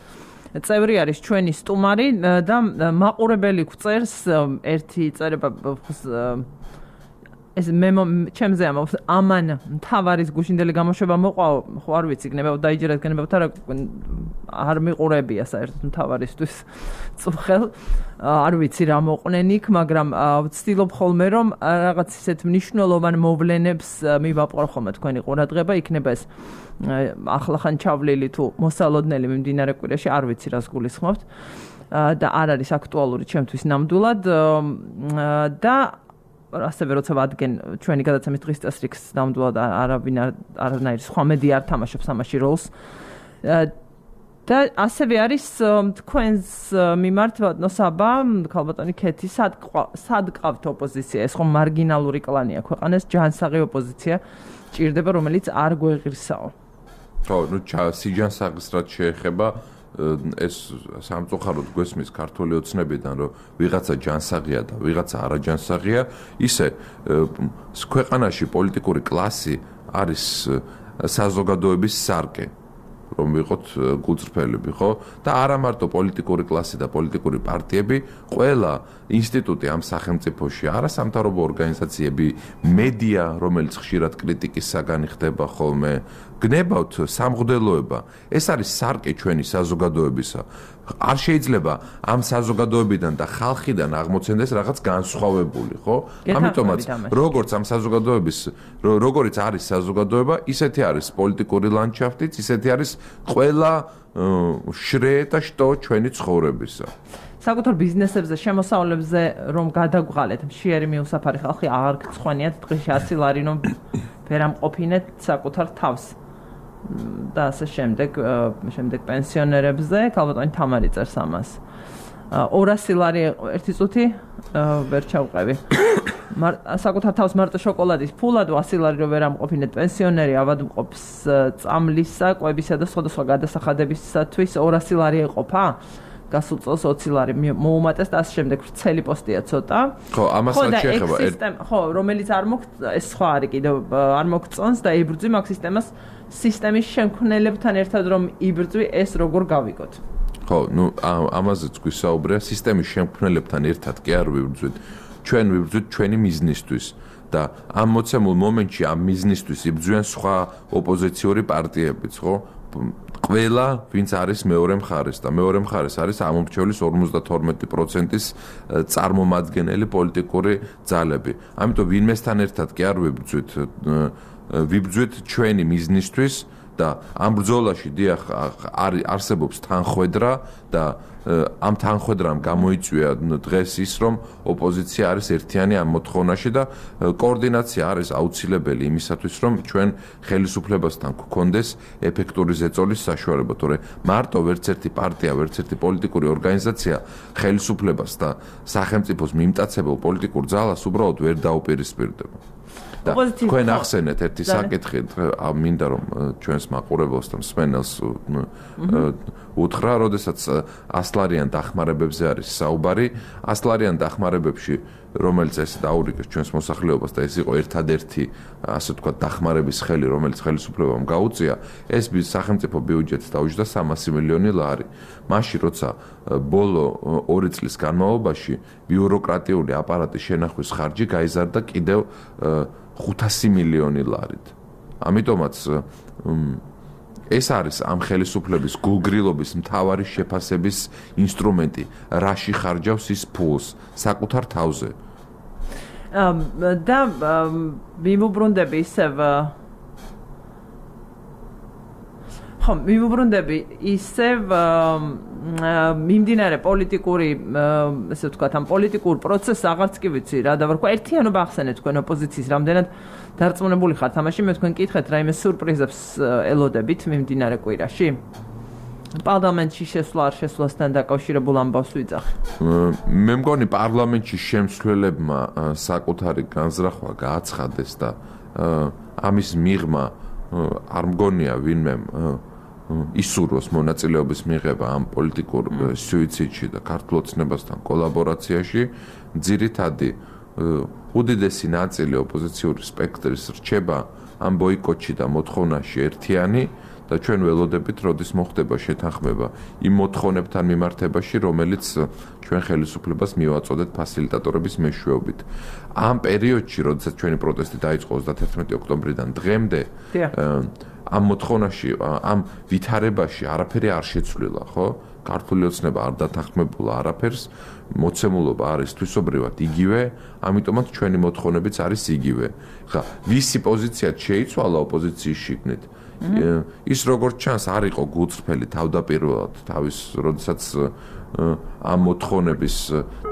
წევრი არის ჩვენი სტუმარი და მაყურებელი გვწერს ერთი წერება ეს მე ჩემზე ამან მთავარის გუშინდელი გამოშვება მოყვა ხო არ ვიცი გნებავ დაიჯერეთ გნებავთ არ მიყურებია საერთოდ მთავარისთვის წუხელ არ ვიცი რა მოყნენ იქ მაგრამ ვცდილობ ხოლმე რომ რაღაც ისეთ მნიშვნელოვან მოვლენებს მივაპყრო ხოლმე თქვენი ყურადღება იქნება ეს ახლახან ჩავლილი თუ მოსალოდნელი მიმდინარე კვირაში არ ვიცი რას გულისხმობთ და არ არის აქტუალური ჩემთვის ნამდვილად და ასევე როცა ვადგენ ჩვენი გადაცემის დღის წესრიგს ნამდვილად არანაირი სხვა მედია არ თამაშობს ამაში როლს და ასევე არის თქვენს მიმართ ნოსაბა ქალბატონი ქეთი სად ყავთ ოპოზიცია ეს ხომ მარგინალური კლანია ქვეყანას ჯანსაღი ოპოზიცია ჭირდება რომელიც არ გვეღირსაო ხო ნუ სიჯანსაღის რაც შეეხება ეს სამწუხაროდ გვესმის ქართული ოცნებიდან რომ ვიღაცა ჯანსაღია და ვიღაცა არაჯანსაღია ისე ქვეყანაში პოლიტიკური კლასი არის საზოგადოების სარკე რომ ვიყოთ გულწრფელები ხო და არა მარტო პოლიტიკური კლასი და პოლიტიკური პარტიები ყველა ინსტიტუტი ამ სახელმწიფოში არასამთავრობო ორგანიზაციები მედია რომელიც ხშირად კრიტიკის საგანი ხდება ხოლმე გნებავთ სამღვდელოება ეს არის სარკე ჩვენი საზოგადოებისა არ შეიძლება ამ საზოგადოებიდან და ხალხიდან აღმოცენდეს რაღაც განსხვავებული ხო ამიტომაც როგორც ამ საზოგადოების როგორიც არის საზოგადოება ისეთი არის პოლიტიკური ლანდშაფტიც ისეთი არის ყველა შრე და შტო ჩვენი ცხოვრებისა საკუთარ ბიზნესებზე შემოსავლებზე რომ გადაგვღალეთ მშიერი მიუსაფარი ხალხი აღარ გწხვენიათ დღეში 100 ლარი რომ ვერამყოფინეთ საკუთარ თავს და ასე შემდეგ პენსიონერებზე ქალბატონი თამარი წერს ამას 200 ლარი ერთი წუთი ვერ ჩავყევი საკუთარ თავს მარტო შოკოლადის ფულად 100 ლარი რომ ვერ ამყოფინეთ პენსიონერი ავადმყოფს წამლისა, კვებისა და სხვადასხვა გადასახადებისათვის 200 ლარი ეყოფა გასულ წელს 20 ლარი მოუმატეს და ამ შემდეგ ვრცელი პოსტია ცოტა. ხო, ამასაც შეეხება. ხო, რომელიც არ ეს სხვა არის კიდევ არ მოგწონს და იბრძვი მაგ სისტემის შემქმნელებთან ერთად რომ იბრძვი ეს როგორ გავიგოთ. ხო, ამაზეც გვისაუბრია სისტემის შემქმნელებთან ერთად კი არ ვიბრძვით. ჩვენ ვიბრძვით ჩვენი მიზნისთვის და ამ მოცემულ მომენტში ამ მიზნისთვის იბრძვიან სხვა ოპოზიციური პარტიებიც, ხო? ყველა, ვინც არის მეორე მხარეს და მეორე მხარეს არის ამომრჩევლის 52%-ის წარმომადგენელი პოლიტიკური ძალები. ამიტომ ვინმესთან ერთად კი არ ვიბრძვით ჩვენი მიზნისთვის და ამ ბრძოლაში დიახ არსებობს თანხვედრა და ამ თანხვედრამ გამოიწვია დღეს ის რომ ოპოზიცია არის ერთიანი ამ მოთხოვნაში და კოორდინაცია არის აუცილებელი იმისათვის რომ ჩვენ ხელისუფლებასთან გქონდეს ეფექტური ზეწოლის საშუალება, თორე მარტო ვერც ერთი პარტია, ვერც ერთი პოლიტიკური ორგანიზაცია ხელისუფლებას და სახელმწიფოს მიმტაცებელ პოლიტიკურ ძალას უბრალოდ ვერ დაუპირისპირდება. თქვენ ახსენეთ ერთი საკითხი, მინდა რომ ჩვენს მაყურებელს და მსმენელს უთხრა, როდესაც ასლარიან დახმარებებზე არის საუბარი, ასლარიან დახმარებებში, რომელიც ეს დაურიგეს ჩვენს მოსახლეობას და ეს იყო ერთადერთი, ასე ვთქვათ, დახმარების ხელი, რომელიც ხელისუფლებამ გაუწია, ეს სახელმწიფო ბიუჯეტს დაუჯდა 300 მილიონი ლარი. მაშინ, როცა ბოლო 2 წლის განმავლობაში ბიუროკრატიული აპარატის შენახვის ხარჯი გაიზარდა კიდევ 500 მილიონი ლარით. ამიტომაც ეს არის ამ ხელისუფლების გულგრილობის მთავარი შეფასების ინსტრუმენტი, რაში ხარჯავს ის ფულს საკუთარ თავზე. და მიმოbrundები ისევ მიმოbrundები ისევ მიმდინარე პოლიტიკური, ესე ვთქვათ, ამ პოლიტიკურ პროცესს აღარც კი ვიცი რა და ვარქვა ერთიანობა ახსენეთ თქვენ ოპოზიციის რამდენად დარწმუნებული ხართ ამაში, მე თქვენ კითხეთ რაიმე სურპრიზებს ელოდებით მიმდინარე კვირაში? პარლამენტში შესვლა არ შესვლასთან დაკავშირებულ ამბავს ვიძახი. მე მგონი პარლამენტში შემცველებმა საკუთარი განზრახვა გააცხადეს და ამის მიღმა არ მგონია ვინმე ისურვოს მონაწილეობის მიღება ამ პოლიტიკურ სუიციდში და ქართულ ოცნებასთან კოლაბორაციაში. ძირითადი უდიდესი ნაწილი ოპოზიციური სპექტრის რჩება ამ ბოიკოტში და მოთხოვნაში ერთიანი და ჩვენ ველოდებით, როდის მოხდება შეთანხმება იმ მოთხოვნებთან მიმართებაში, რომელიც ჩვენ ხელისუფლებას მივაწოდეთ ფასილიტატორების მეშვეობით. ამ პერიოდში, როდესაც ჩვენი პროტესტი დაიწყო 31 ოქტომბრიდან დღემდე, ამ მოთხოვნაში, ამ ვითარებაში არაფერი არ შეცვლილა, ხო? ქართული ოცნება არ დათანხმებულა არაფერს, მოცემულობა არის თვისობრივად იგივე, ამიტომაც ჩვენი მოთხოვნებიც არის იგივე. ხა, ვისი პოზიციაც შეიცვალა ოპოზიციის შიგნით? ის როგორც ჩანს არ იყო გულწრფელი თავდაპირველად თავის, როდესაც ამ მოთხოვნების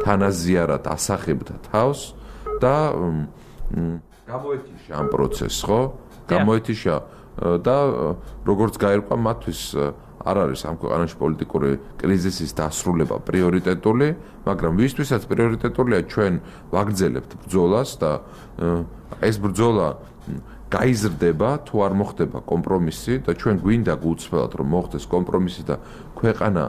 თანაზიარად ასახებდა თავს და გამოეთიშა ამ პროცესს, ხო? გამოეთიშა და როგორც გაირკვა მათთვის არ არის ამ ქვეყანაში პოლიტიკური კრიზისის დასრულება პრიორიტეტული, მაგრამ ვისთვისაც პრიორიტეტულია ჩვენ ვაგრძელებთ ბრძოლას და ეს ბრძოლა გაიზრდება თუ არ მოხდება კომპრომისი და ჩვენ გვინდა გულწრფელად რომ მოხდეს კომპრომისი და ქვეყანა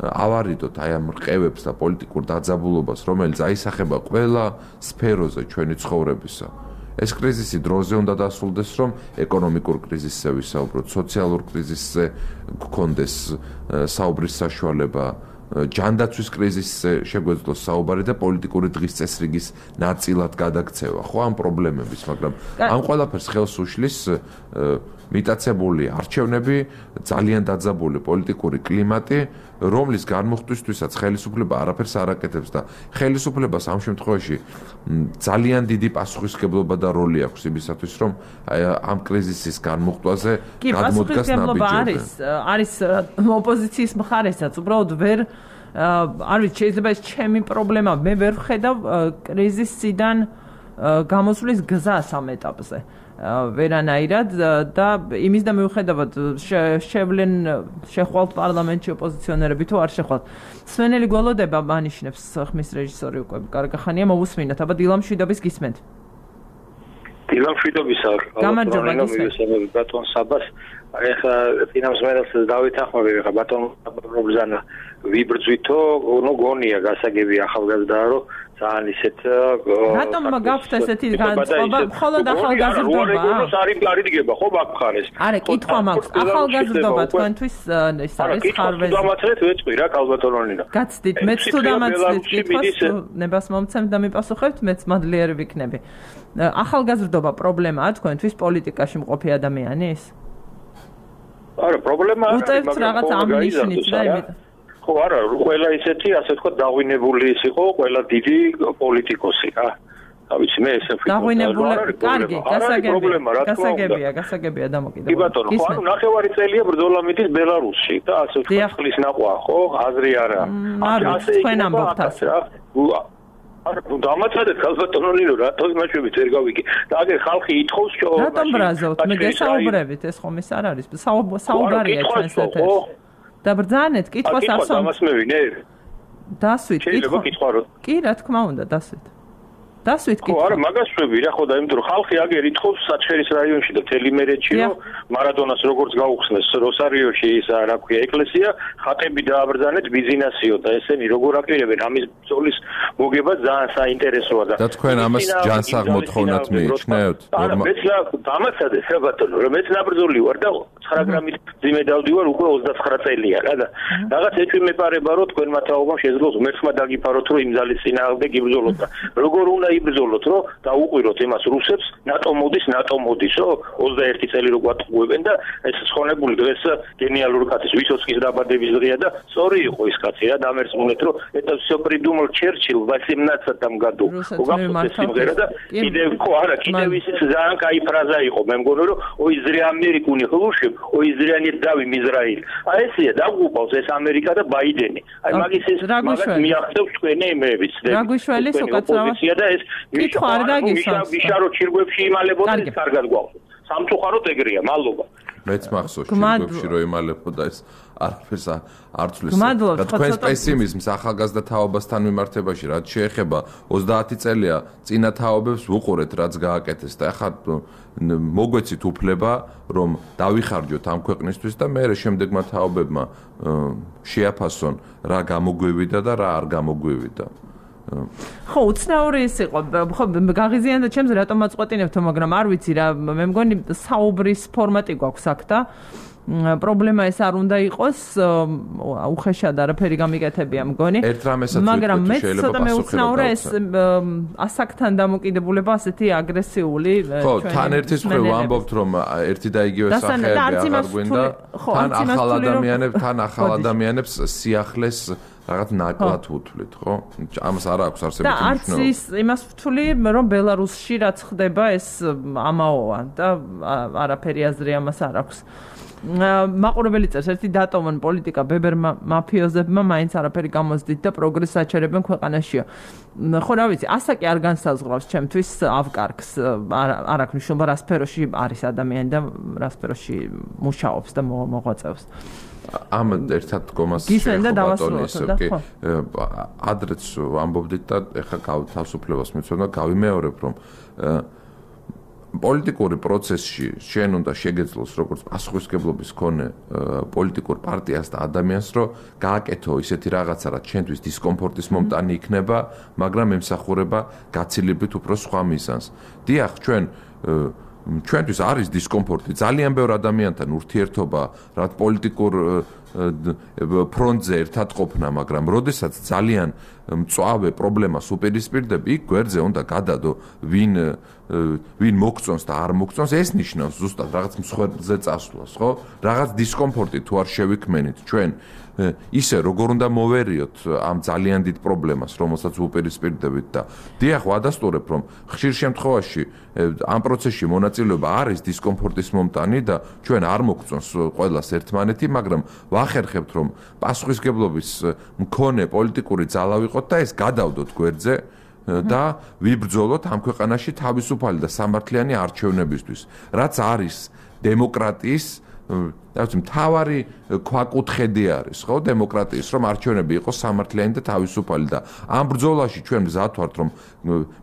ავარიდოთ აი ამ რყევებს და პოლიტიკურ დაძაბულობას, რომელიც აისახება ყველა სფეროზე ჩვენი ცხოვრებისა. ეს კრიზისი დროზე უნდა დასრულდეს, რომ ეკონომიკურ კრიზისზე ვისაუბროთ, სოციალურ კრიზისზე გქონდეს საუბრის საშუალება, ჯანდაცვის კრიზისზე შეგვეძლოს საუბარი და პოლიტიკური დღის წესრიგის ნაწილად გადაქცევა, ხო ამ პრობლემების, მაგრამ ამ ყველაფერს ხელს უშლის მიტაცებული არჩევნები, ძალიან დაძაბული პოლიტიკური კლიმატი, რომლის განმუხტვისთვისაც ხელისუფლება არაფერს არ აკეთებს და ხელისუფლებას ამ შემთხვევაში ძალიან დიდი პასუხისმგებლობა და როლი აქვს იმისათვის, რომ ამ კრიზისის განმუხტვაზე გადმოდგას ნაბიჯები. არის ოპოზიციის მხარესაც, უბრალოდ ვერ არ ვიცი, შეიძლება ეს ჩემი პრობლემა, მე ვერ ვხედავ კრიზისიდან გამოსვლის გზას ამ ეტაპზე. ვერანაირად და იმის და მიუხედავად შეხვალთ პარლამენტში ოპოზიციონერები თუ არ შეხვალთ. სვენელი გველოდება მანიშნებს ხმის რეჟისორი უკვე კარგახანია, მოვუსმინოთ, აბა დილამ შვიდობის გისმენთ. დილამშვიდობისა. გამარჯობა გისმენთ ბატონ საბას. ეხლა ფინანსმენელს დავითახმები ხა ბატონ პრობზანა ვიბრძვითო, ნუ გონია გასაგები ახალგაზრდაა, რომ ძალიან ისეთ რატომ გაქვთ ესეთი განწყობა? მხოლოდ ახალგაზრდობა? არიდგება ხო მაგ მხარეს. არა, კითხვა მაქვს. ახალგაზრდობა თქვენთვის ეს არის ხარვეზი. დამაცრეთ ვეწყვი რა კალბატონონინა. გაცდით, მეც თუ დამაცრეთ კითხვას, ნებას მომცემ და მიპასუხებთ, მეც მადლიერი ვიქნები. ახალგაზრდობა პრობლემაა თქვენთვის პოლიტიკაში მყოფი ადამიანის? არა, პრობლემა არის, უწევთ რაღაც ამნიშნით და იმით. ხო, არა, ყველა ისეთი, ასე ვთქვათ, დაღვინებული ის იყო, ყველა დიდი პოლიტიკოსი რა. ავიცი მე ესე ვფიქრობ. დაღვინებული, კარგი, გასაგებია დამოკიდებული. კი ბატონო, ხო, ანუ ნახევარი წელია ბრძოლა მიდის ბელარუსში და ასე ვთქვათ, ხლის ნაყვა, ხო, აზრი არა. ასე თქვენ ამბობთ ასე. არა, დამაცადეთ კალბატონონი რომ რატო იმაშვებით ვერ გავიგე. და აგერ ხალხი ითხოვს ჩვენ. რატომ ბრაზავთ? მე გესაუბრებით, ეს ხომ ის არ არის. საუბარია ჩვენს ეთერში. და ბრძანეთ, კითხვას ასო. ამას მევინე. დასვით, შეიძლება კითხვა რომ. კი, რა თქმა უნდა, დასვით. დასვით კითხვა. ხო, არა, მაგას შვები რა, ხო და იმიტომ რომ ხალხი აგერ ითხოვს საჩხერის რაიონში და თელიმერეთში რომ მარადონას როგორც გაუხსნეს როსარიოში ის რა ქვია ეკლესია, ხატები დააბრძანეთ ბიზნესიო და ესენი როგორ აპირებენ ამის ბრძოლის მოგება ძალიან საინტერესოა და თქვენ ამას ჯანსაღმოდ ხოვნათ მიიჩნევთ? არა, მეც დამაცადეთ რა ბატონო, რომ მეც ნაბრძოლი ვარ და 9 გრამით ძიმე დავდივარ უკვე 29 წელია რა და რაღაც ეჭვი მეპარება რომ თქვენმა თაობამ შეძლოს ღმერთმა დაგიფაროთ რომ იმ ძალის წინააღმდეგ იბრძოლოთ და როგორ უნდა იბრძოლოთ რომ დაუყვიროთ იმას რუსებს ნატო მოდისო 21 წელი რო გვატყუებენ და ეს ხონებული დღეს გენიალური კაცის ვისოცკის დაბადების დღეა და სწორი იყო ის კაცი რა დამერწმუნეთ რომ это всё придумал Черчилль в 18 году. უგაფრთხილდა სიმღერა და კიდევ ხო არა კიდევ ისიც ძალიან кай ფრაზა იყო მე მგონი რომ ой зря Америку не хлушим ой зря не давим Израиль. აი ესია დაგუყავს ეს ამერიკა და ბაიდენი. აი მაგის ეს მაგას მიახდევს თქვენი იმეები ცდები. რაგვიშველი სუკაცრავად და ეს კითხვა არ გაგისვამს. ვიშარო ჩირგვებში იმალებოდა ეს კარგად გვაქვს. სამწუხაროდ ეგრეა, მადლობა. მეც მახსოვს ჩირგვებში რომ იმალებოდა ეს არაფერს არ ცვლის. და თქვენს პესიმიზმს ახალგაზრდა თაობასთან მიმართებაში რაც შეეხება 30 წელია წინა თაობებს ვუყურეთ რაც გააკეთეს და ახლა მოგვეცით უფლება რომ დავიხარჯოთ ამ ქვეყნისთვის და მე შემდეგმა თაობებმა შეაფასონ რა გამოგვივიდა და რა არ გამოგვივიდა. ხო, უცნაური ის იყო. ხო, გაღიზიანდა ჩემს რატომ აწყვეტინებთო, მაგრამ არ ვიცი რა, მე მგონი საუბრის ფორმატი გვაქვს აქ და პრობლემა ეს არ უნდა იყოს, უხეშად არაფერი გამიკეთებია მგონი. მაგრამ მე ცოტა მეუცნაურა ეს ასაკთან დამოკიდებულება ასეთი აგრესიული ხო, თან ერთის მხრივ ამბობთ რომ ერთი და იგივე სახეები აღარ გვინდა. თან ახალ ადამიანებს სიახლეს რაღაც ნაკლად უთვლით, ხო? ამას არ აქვს არსებითი მნიშვნელობა. და არც ის იმას ვთვლი, რომ ბელარუსში რაც ხდება ეს ამაოა და არაფერი აზრი ამას არ აქვს. მაყურებელი წერს ერთი დატოვონ პოლიტიკა ბებერ მაფიოზებმა მაინც არაფერი გამოსდით და პროგრესს აჩერებენ ქვეყანაშიო. ხო რა ვიცი, ასაკი არ განსაზღვრავს ჩემთვის ავკარგს, არ აქვს მნიშვნელობა რა სფეროში არის ადამიანი და რა სფეროში მუშაობს და მოღვაწეობს. ამ ერთად დგომას გისმენდა დავასრულოთ და ხო ადრეც ამბობდით და ეხლა თავისუფლებას მიცოდნა გავიმეორებ რომ პოლიტიკური პროცესში შენ უნდა შეგეძლოს როგორც პასუხისმგებლობის მქონე პოლიტიკურ პარტიას და ადამიანს რომ გააკეთო ისეთი რაღაცა რაც შენთვის დისკომფორტის მომტანი იქნება მაგრამ ემსახურება გაცილებით უფრო სხვა მიზანს. დიახ ჩვენთვის არის დისკომფორტი ძალიან ბევრ ადამიანთან ურთიერთობა რაც პოლიტიკურ ფრონტზე ერთად ყოფნა, მაგრამ როდესაც ძალიან მწვავე პრობლემას უპირისპირდები, იქ გვერდზე უნდა გადადო ვინ მოგწონს და არ მოგწონს, ეს ნიშნავს ზუსტად რაღაც მსხვერპლზე წასვლას, ხო? რაღაც დისკომფორტი თუ არ შევიქმნით ჩვენ ისე როგორ უნდა მოვერიოთ ამ ძალიან დიდ პრობლემას, რომელსაც უპირისპირდებით და დიახ, ვადასტურებ, რომ ხშირ შემთხვევაში ამ პროცესში მონაწილეობა არის დისკომფორტის მომტანი და ჩვენ არ მოგწონს ყველას ერთმანეთი, მაგრამ ვახერხებთ, რომ პასუხისმგებლობის მქონე პოლიტიკური ძალა ვიყოთ და ეს გადავდოთ გვერდზე და ვიბრძოლოთ ამ ქვეყანაში თავისუფალი და სამართლიანი არჩევნებისთვის, რაც არის დემოკრატიის მთავარი ქვაკუთხედი არის, ხო, დემოკრატიის, რომ არჩევნები იყოს სამართლიანი და თავისუფალი და ამ ბრძოლაში ჩვენ მზად ვართ, რომ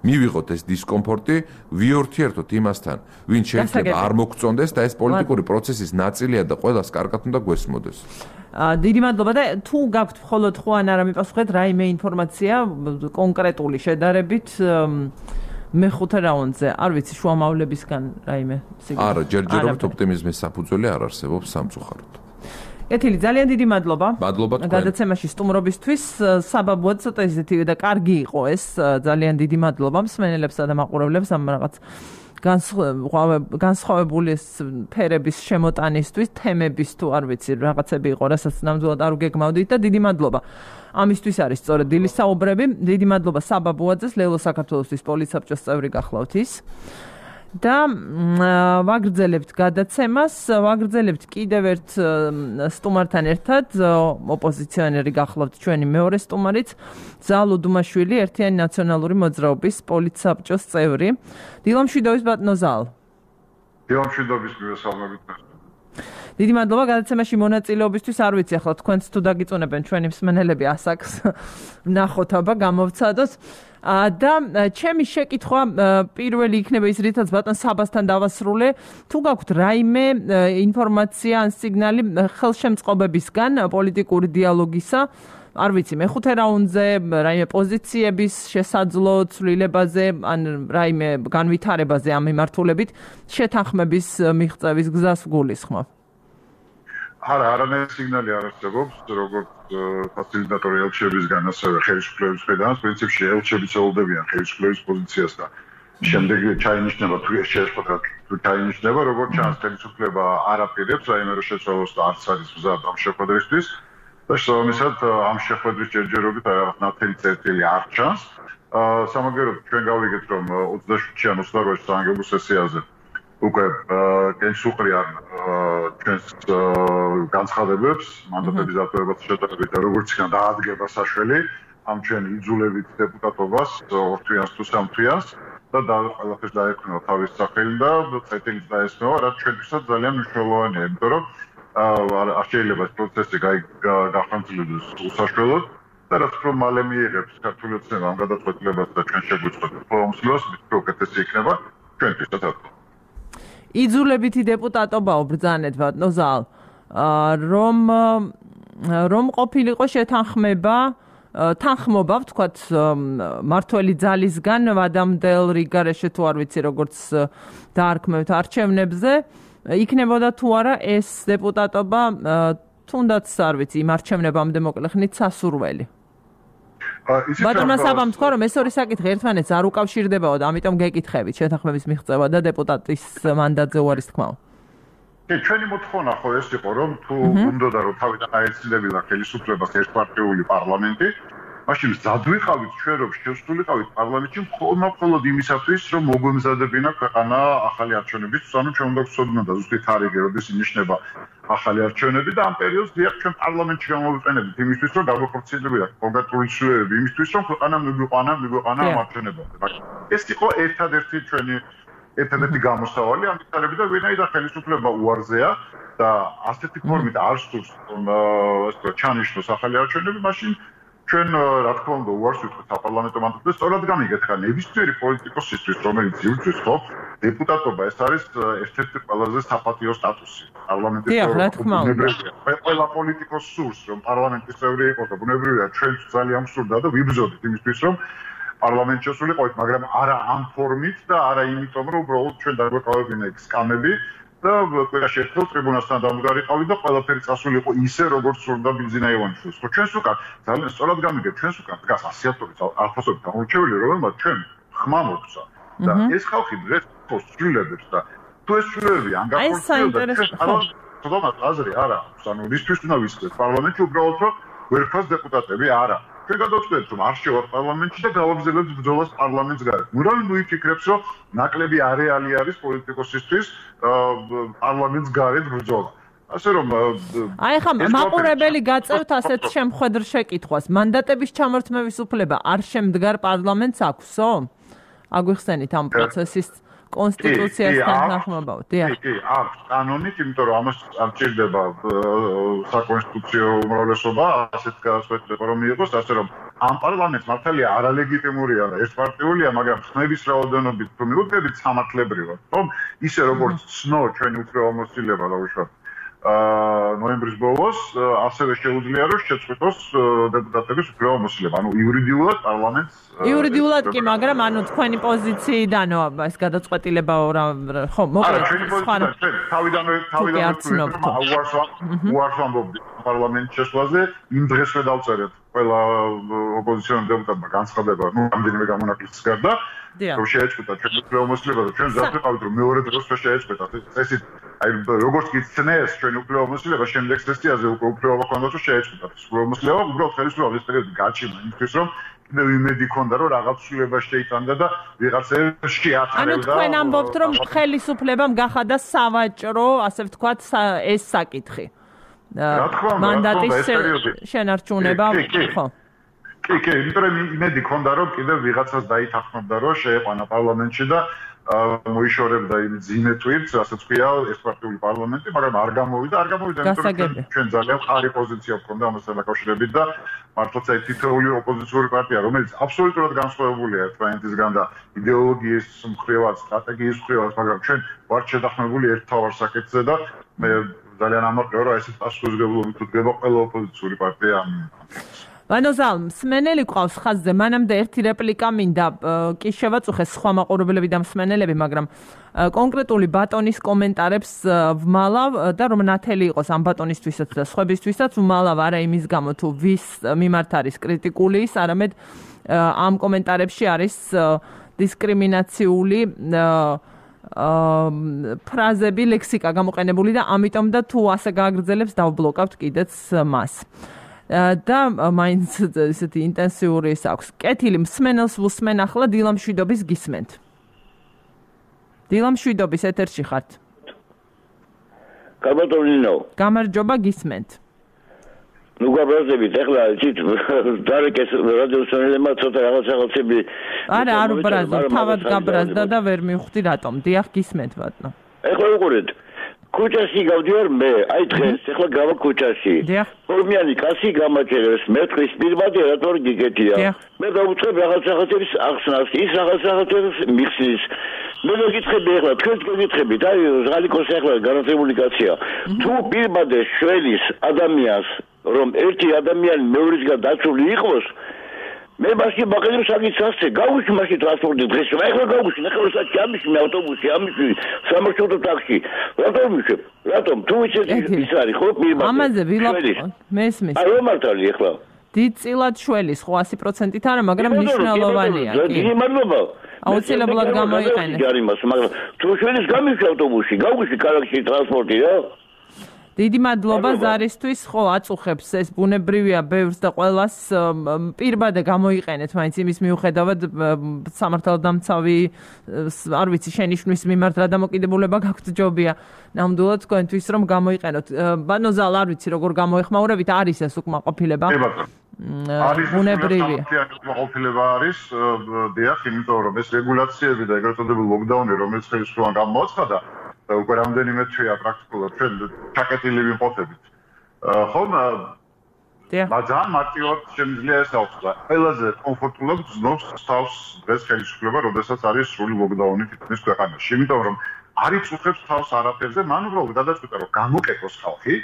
მივიღოთ ეს დისკომფორტი, ვიერთიერთოთ იმასთან, ვინ შეიძლება არ მოგწონდეს და ეს პოლიტიკური პროცესის ნაწილია და ყველას კარგად უნდა გვესმოდეს. დიდი მადლობა და თუ გაქვთ მხოლოდ ხო ან არა მიპასუხეთ რაიმე ინფორმაცია კონკრეტული შედარებით მეხუთე რაუნდზე, არ ვიცი შუამავლებისგან რაიმე სიგნალი. არა, ჯერჯერობით ოპტიმიზმის საფუძველი არ არსებობს სამწუხაროდ. კეთილი, ძალიან დიდი მადლობა. მადლობა თქვენ. გადაცემაში სტუმრობისთვის, საბაბუად ცოტა ისეთი და კარგი იყო ეს, ძალიან დიდი მადლობა მსმენელებსა და მაყურებლებს ამ რაღაც განსხვავებული ფერების შემოტანისთვის, თემების თუ არ ვიცი, რაღაცები იყო, რასაც ნამდვილად არ უგეგმავდით და დიდი მადლობა. ამისთვის არის სწორედ დილის საუბრები. დიდი მადლობა საბაბუაძეს, ლელო საქართველოსთვის პოლიცსაბჭოს წევრი გახლავთ ის. და ვაგრძელებთ გადაცემას, ვაგრძელებთ კიდევ ერთ სტუმართან ერთად, ოპოზიციონერი გახლავთ ჩვენი მეორე სტუმარიც, ზალო დუმაშვილი, ერთიანი ნაციონალური მოძრაობის პოლიცსაბჭოს წევრი. დილამშვიდობის ბატონო ზალ. დილამშვიდობის მივესალმებით. დიდი მადლობა გადაცემაში მონაწილეობისთვის. არ ვიცი ახლა თქვენც თუ დაგიწუნებენ ჩვენი მსმენელები ასაკს ნახოთ აბა გამოვცადოთ. და ჩემი შეკითხვა პირველი იქნება ის, რითაც ბატონ საბასთან დავასრულე, თუ გაქვთ რაიმე ინფორმაცია ან სიგნალი ხელშემწყობებისგან პოლიტიკური დიალოგისა, არ ვიცი, მეხუთე რაუნდზე, რაიმე პოზიციების შესაძლო ცვლილებაზე, ან რაიმე განვითარებაზე ამ მიმართულებით შეთანხმების მიღწევის გზას გულისხმობ. არა, არანაირი სიგნალი არ არსებობს, როგორც ფასილიტატორი ელჩებისგან, ასევე ხელისუფლების მხრიდან, პრინციპში ელჩები ცდილობენ ხელისუფლების პოზიციას და შემდეგ ჩაინიშნება თუ ეს შეეხება თუ ჩაინიშნება, როგორც ჩანს ხელისუფლება არ აპირებს რაიმე შეცვალოს და არც არის მზად ამ შეხვედრისთვის და შესაბამისად ამ შეხვედრის ჯერჯერობით რაღაც ნათელი წერტილი არ ჩანს. სამაგეროდ ჩვენ გავიგეთ, რომ 27-იან 28-ში საანგებო სესიაზე უკვე გენსუყრიან ჩვენს განცხადებებს მანდატების დატოვებას შეტანებით და როგორც იქნება დაადგება საშველი ამ ჩვენ იძულებით დეპუტატობას 2 თვიანს თუ 3 თვიანს და ყველაფერს დაექვნება თავის სახელი და წერტილიც დაესმევა, რაც ჩვენთვისაც ძალიან მნიშვნელოვანია, იმიტომ რომ არ შეიძლება ეს პროცესი გახანძლებდეს უსაშველოდ და რაც უფრო მალე მიიღებს ქართული ოცნება ამ გადაწყვეტილებას და ჩვენ შეგვიწყოთ პრომოსლოს, უფრო უკეთესი იქნება ჩვენთვისაც. იძულებითი დეპუტატობაო ბრძანეთ ბატონო ზალ, რომ ყოფილიყო შეთანხმება, თანხმობა ვთქვათ მართველი ძალისგან ვადამდელ რიგარეშე თუ არ ვიცი როგორც დაარქმევთ არჩევნებზე, იქნებოდა თუ არა ეს დეპუტატობა თუნდაც არ ვიცი იმ არჩევნებამდე მოკლე ხნით სასურველი. ბატონმა საბამ თქვა, რომ ეს ორი საკითხი ერთმანეთს არ უკავშირდებაო და ამიტომ გეკითხებით შეთანხმების მიღწევა და დეპუტატის მანდატზე უარის თქმაო. ჩვენი მოთხოვნა ხო ეს იყო, რომ თუ უნდოდა რომ თავიდან აეცილებინა ხელისუფლებას ერთპარტიული პარლამენტი, მაშინ მზად ვიყავით ჩვენ რომ შევსულიყავით პარლამენტში მხოლოდ იმისათვის, რომ მოგვემზადებინა ქვეყანა ახალი არჩევნებისთვის, ანუ ჩვენ უნდა გვცოდნა და ზუსტად თარიღი, როდის ინიშნება ახალი არჩევნები და ამ პერიოდს დიახ ჩვენ პარლამენტში გამოვიყენებით იმისთვის, რომ დაგვახორციელებინა კონკრეტული ცვლილებები იმისთვის, რომ ქვეყანა მიგვიყვანა ამ არჩევნებამდე. ეს იყო ერთადერთი გამოსავალი ამ თარიღი და ვინაიდან ხელისუფლება უარზეა და ასეთი ფორმით არ სურს ჩანიშნოს ახალი არჩევნები, მაშინ ჩვენ რა თქმა უნდა უარს ვიტყვით საპარლამენტო მანდატს, სწორად გამიგეთ ხა ნებისმიერი პოლიტიკოსისთვის, რომელიც იბრძვის ხო, დეპუტატობა ეს არის ერთ-ერთი ყველაზე საპატიო სტატუსი პარლამენტის წევრobunebreviya. ყველა პოლიტიკოს სურს, რომ პარლამენტის წევრი იყოს და ბუნებრივია ჩვენც ძალიან სურდა და ვიბრძოდით იმისთვის, რომ პარლამენტში შესულიყავით, მაგრამ არა ამ ფორმით და არა იმიტომ, რომ უბრალოდ ჩვენ დაგვეყავებინა იქ სკამები და ყველაში ერთხელ ტრიბუნასთან დამდგარიყავით და ყველაფერი წასულიყო ისე, როგორც სურდა ბიზინა ივანიშვილს. ხო, ჩვენს უკან ძალიან სწორად გამიგეთ, ჩვენს უკან დგას ასიათობით ათასობით გამორჩეული, რომელმაც ჩვენ ხმა მოგცა. და ეს ხალხი დღეს ცვლილებებს და თუ ეს ცვლილებები ან გახორციელდა, თუმცა აზრი არა აქვს, ანუ რისთვის უნდა ვისწრებთ პარლამენტში უბრალოდ რომ ვერფას დეპუტატები არა. ჩვენ გადავწყვეტთ, რომ არ შევარ პარლამენტში და გავაგზავნებთ ბრძოლას პარლამენტს გარეთ. ურავინ ვიფიქრებს, რომ ნაკლები არეალი არის პოლიტიკოსისთვის პარლამენტს გარეთ ბრძოლა. ასე რომ აი ხა მაყურებელი გაწევთ ასეთ შემხედრ შეკითხვას. მანდატების ჩამორთმევის უფლება არ შემდგარ პარლამენტს აქვსო? აგვიხსენით ამ პროცესის კონსტიტუციასთან თანახმობრივად. დიახ. კი, აქვს კანონით, იმიტომ რომ ამას არ ჭირდება საკონსტიტუციო უმრავლესობა, ასეთ გადაწყვეტილება რომ მიიღოს, ასე რომ ამ პარლამენტს მართალია არალეგიტიმურია და ერთპარტიულია, მაგრამ ხმების რაოდენობით თუ მიუძღებით სამართლებრივად, რომ ისე როგორც ცნო ჩვენი უფლებამოსილება დაუშვათ ნოემბრის ბოლოს, ასევე შეუძლია რომ შეწყვეტოს დეპუტატების უფლებამოსილება. ანუ იურიდიულად პარლამენტს იურიდიულად კი, მაგრამ ანუ თქვენი პოზიციიდანო ეს გადაწყვეტილება ხო, მოკლედ სხვა თავიდანვე უარს ვამბობდი პარლამენტის შესვლაზე, იმ დღესვე დავწერეთ ყველა ოპოზიციონერ დეპუტატმა განცხადება, რამდენიმე გამონაკლისის გარდა, რომ შეეწყვეტა ჩვენი უფლებამოსილება და ჩვენ ზავ ვიყავით რომ მეორე დროს შეეწყვეტათ. ესეთ აი როგორც გიცნეს ჩვენი უფლებამოსილება შემდეგ სესიაზე უკვე უფლება ჰქონდათ რომ შეეწყვეტათ. უფლებამოსილება უბრალოდ ხელისუფლება ეს პერიოდი გაჩინა იმისთვის რომ კიდევ იმედი ჰქონდა რომ რაღაც ცვლილება შეიტანდა და ვიღაცებს შეაჩერებდა. ანუ თქვენ ამბობთ რომ ხელისუფლებამ გახადა სავაჭრო, ასე ვთქვათ, ეს საკითხი. მანდატის შენარჩუნება, ხო. კი, იმიტომ რომ იმედი ჰქონდა რომ კიდევ ვიღაცას დაითანხმებდა რომ შეეყვანა პარლამენტში და მოიშორებდა იმ ძიმე თვირთს, რასაც ქვია ერთპარტიული პარლამენტი, მაგრამ არ გამოვიდა, იმიტომ რომ ჩვენ ძალიან ხარი პოზიცია გვქონდა ამასთან დაკავშირებით და მართლაც აი თითოეული ოპოზიციური პარტია, რომელიც აბსოლუტურად განსხვავებულია ერთმანეთისგან და იდეოლოგიის მხრივაც, სტრატეგიის მხრივაც, მაგრამ ჩვენ ვართ შედახმებული ერთ თავარ საკითხზე და მე ძალიან ამაყია რომ ესეთ პასუხისმგებლობით უდგება ყველა ოპოზიციური პარტია ამ ვანოზალ, მსმენელი ყავს ხაზზე, მანამდე ერთი რეპლიკა მინდა, კი შევაწუხე სხვა მაყურებლები და მსმენელები, მაგრამ კონკრეტული ბატონის კომენტარებს ვმალავ და რომ ნათელი იყოს ამ ბატონისთვისაც და სხვებისთვისაც ვმალავ არა იმის გამო თუ ვის მიმართ არის კრიტიკული ის, არამედ ამ კომენტარებში არის დისკრიმინაციული ფრაზები, ლექსიკა გამოყენებული და ამიტომ და თუ ასე გააგრძელებს დავბლოკავთ კიდეც მას. და მაინც ესეთი ინტენსიური ის აქვს. კეთილი მსმენელს ვუსმენ ახლა დილა მშვიდობის გისმენთ. დილა მშვიდობის ეთერში ხართ. გამარჯობა. გამარჯობა გისმენთ. ნუ გაბრაზებით ახლა იცით დარეკეს რადიოსმენელებმა ცოტა რაღაცები არა არ უბრაზო თავად გაბრაზდა და ვერ მივხვდი რატომ. დიახ გისმენთ ბატონო. ახლა უყურეთ ქუჩაში გავდივარ მე, აი დღეს ახლა გავა ქუჩაში. ორმიანი კაცი გამაჭერეს, მე თქვის პირბადე რატომ გიგეთია. მე დავუწყებ რაღაცების ახსნას, ის რაღაცების მიხსნის. მე მოგიწყები ახლა, თქვენ გიგითხებით, აი ზღალიკოს ახლა განათლებული კაცია. თუ პირბადე შველის ადამიანს, რომ ერთი ადამიანი მეორისგან დაცული იყოს, მე მაშინ ბაღებს აგიცასე, გავუშვი მაშინ ტრანსპორტი დღეს, ახლა გავუშვი, ახლა საჭი ამიში მე ავტობუსი, ამიში სამარშრუტო ტაქსი. რატომ? თუ ის არის ხო პირბადე. ამაზე ვილაპარაკ. მესმის. აი რომ მართალი ახლა. დიდწილად შველის ხო 100%-ით არა, მაგრამ მნიშვნელოვანია. დიდი მადლობა. აუცილებლად გამოიყენე. მაგრამ თუ შველის გამიშვი ავტობუსი, გავუშვი ქალაქში ტრანსპორტი რა. დიდი მადლობა ზარისთვის, ხო, აწუხებს ეს ბუნებრივია ბევრს და ყველას პირბადე გამოიყენეთ, მაინც იმის მიუხედავად სამართალდამცავი, არ ვიცი, შენიშვნის მიმართ რა დამოკიდებულება გაქვთ ჯობია. ნამდვილად თქვენთვის რომ გამოიყენოთ. ბანოზალ არ ვიცი როგორ გამოეხმაურებით, არის ეს უკმაყოფილება. ბუნებრივია. უკმაყოფილება არის, დიახ, იმიტომ რომ ეს რეგულაციები და ეგრეთ წოდებული ლოკდაუნი, რომელიც ხელისუფლებამ გამოაცხადა და უკვე რამდენიმე თვეა პრაქტიკულად ჩვენ ჩაკეტილი ვიმყოფებით. ხომ? მაგრამ მარტივად შემიძლია ეს ავხსნა. ყველაზე კომფორტულად გზნობს თავს დღეს ხელისუფლება, როდესაც არის სრული ლოკდაუნი თითქმის ქვეყანაში. იმიტომ რომ არ იწუხებს თავს არაფერზე, მან უბრალოდ გადაწყვიტა რომ გამოკეტოს ხალხი,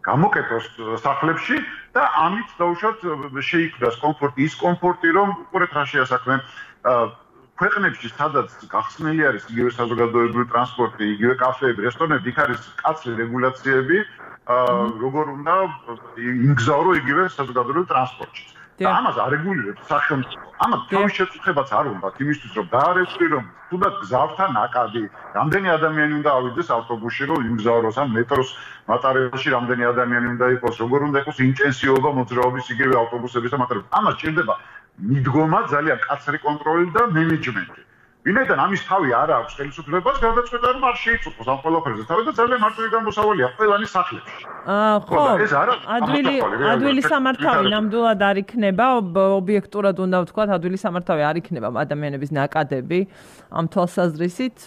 გამოკეტოს სახლებში და ამით დაუშვათ შეიქმნას კომფორტი, ის კომფორტი რომ უყურეთ რა შეასაქმე ქვეყნებში სადაც გახსნილი არის იგივე საზოგადოებრივი ტრანსპორტი, იგივე კაფეები, რესტორნები, იქ არის კაცრი რეგულაციები, როგორ უნდა იმგზავრო იგივე საზოგადოებრივ ტრანსპორტში. და ამას არეგულირებს სახელმწიფო. ამათ თავის შეწუხებაც არ უნდა იმისთვის რომ დაარევსი რომ თუნდაც გზავთან აკადი, რამდენი ადამიანი უნდა ავიდეს ავტობუსში რომ იმგზავროს ან მეტროს მატარებელში რამდენი ადამიანი უნდა იყოს, როგორ უნდა იყოს ინტენსიობა მოძრაობის იგივე ავტობუსების და მატარებლების. ამას ჭირდება მიდგომა, ძალიან კაცრი კონტროლი და მენეჯმენტი. ვინაიდან ამის თავი არ აქვს ხელისუფლებას, გადაწყვეტა რომ არ შეიწუხოს ამ ყველაფერზე თავი და ძალიან მარტივი გამოსავალია ყველანი სახლებში. ხო, ეს ადვილი სამართავი ნამდვილად არ იქნება, ობიექტურად უნდა ვთქვათ, ადვილი სამართავი არ იქნება ადამიანების ნაკადები ამ თვალსაზრისით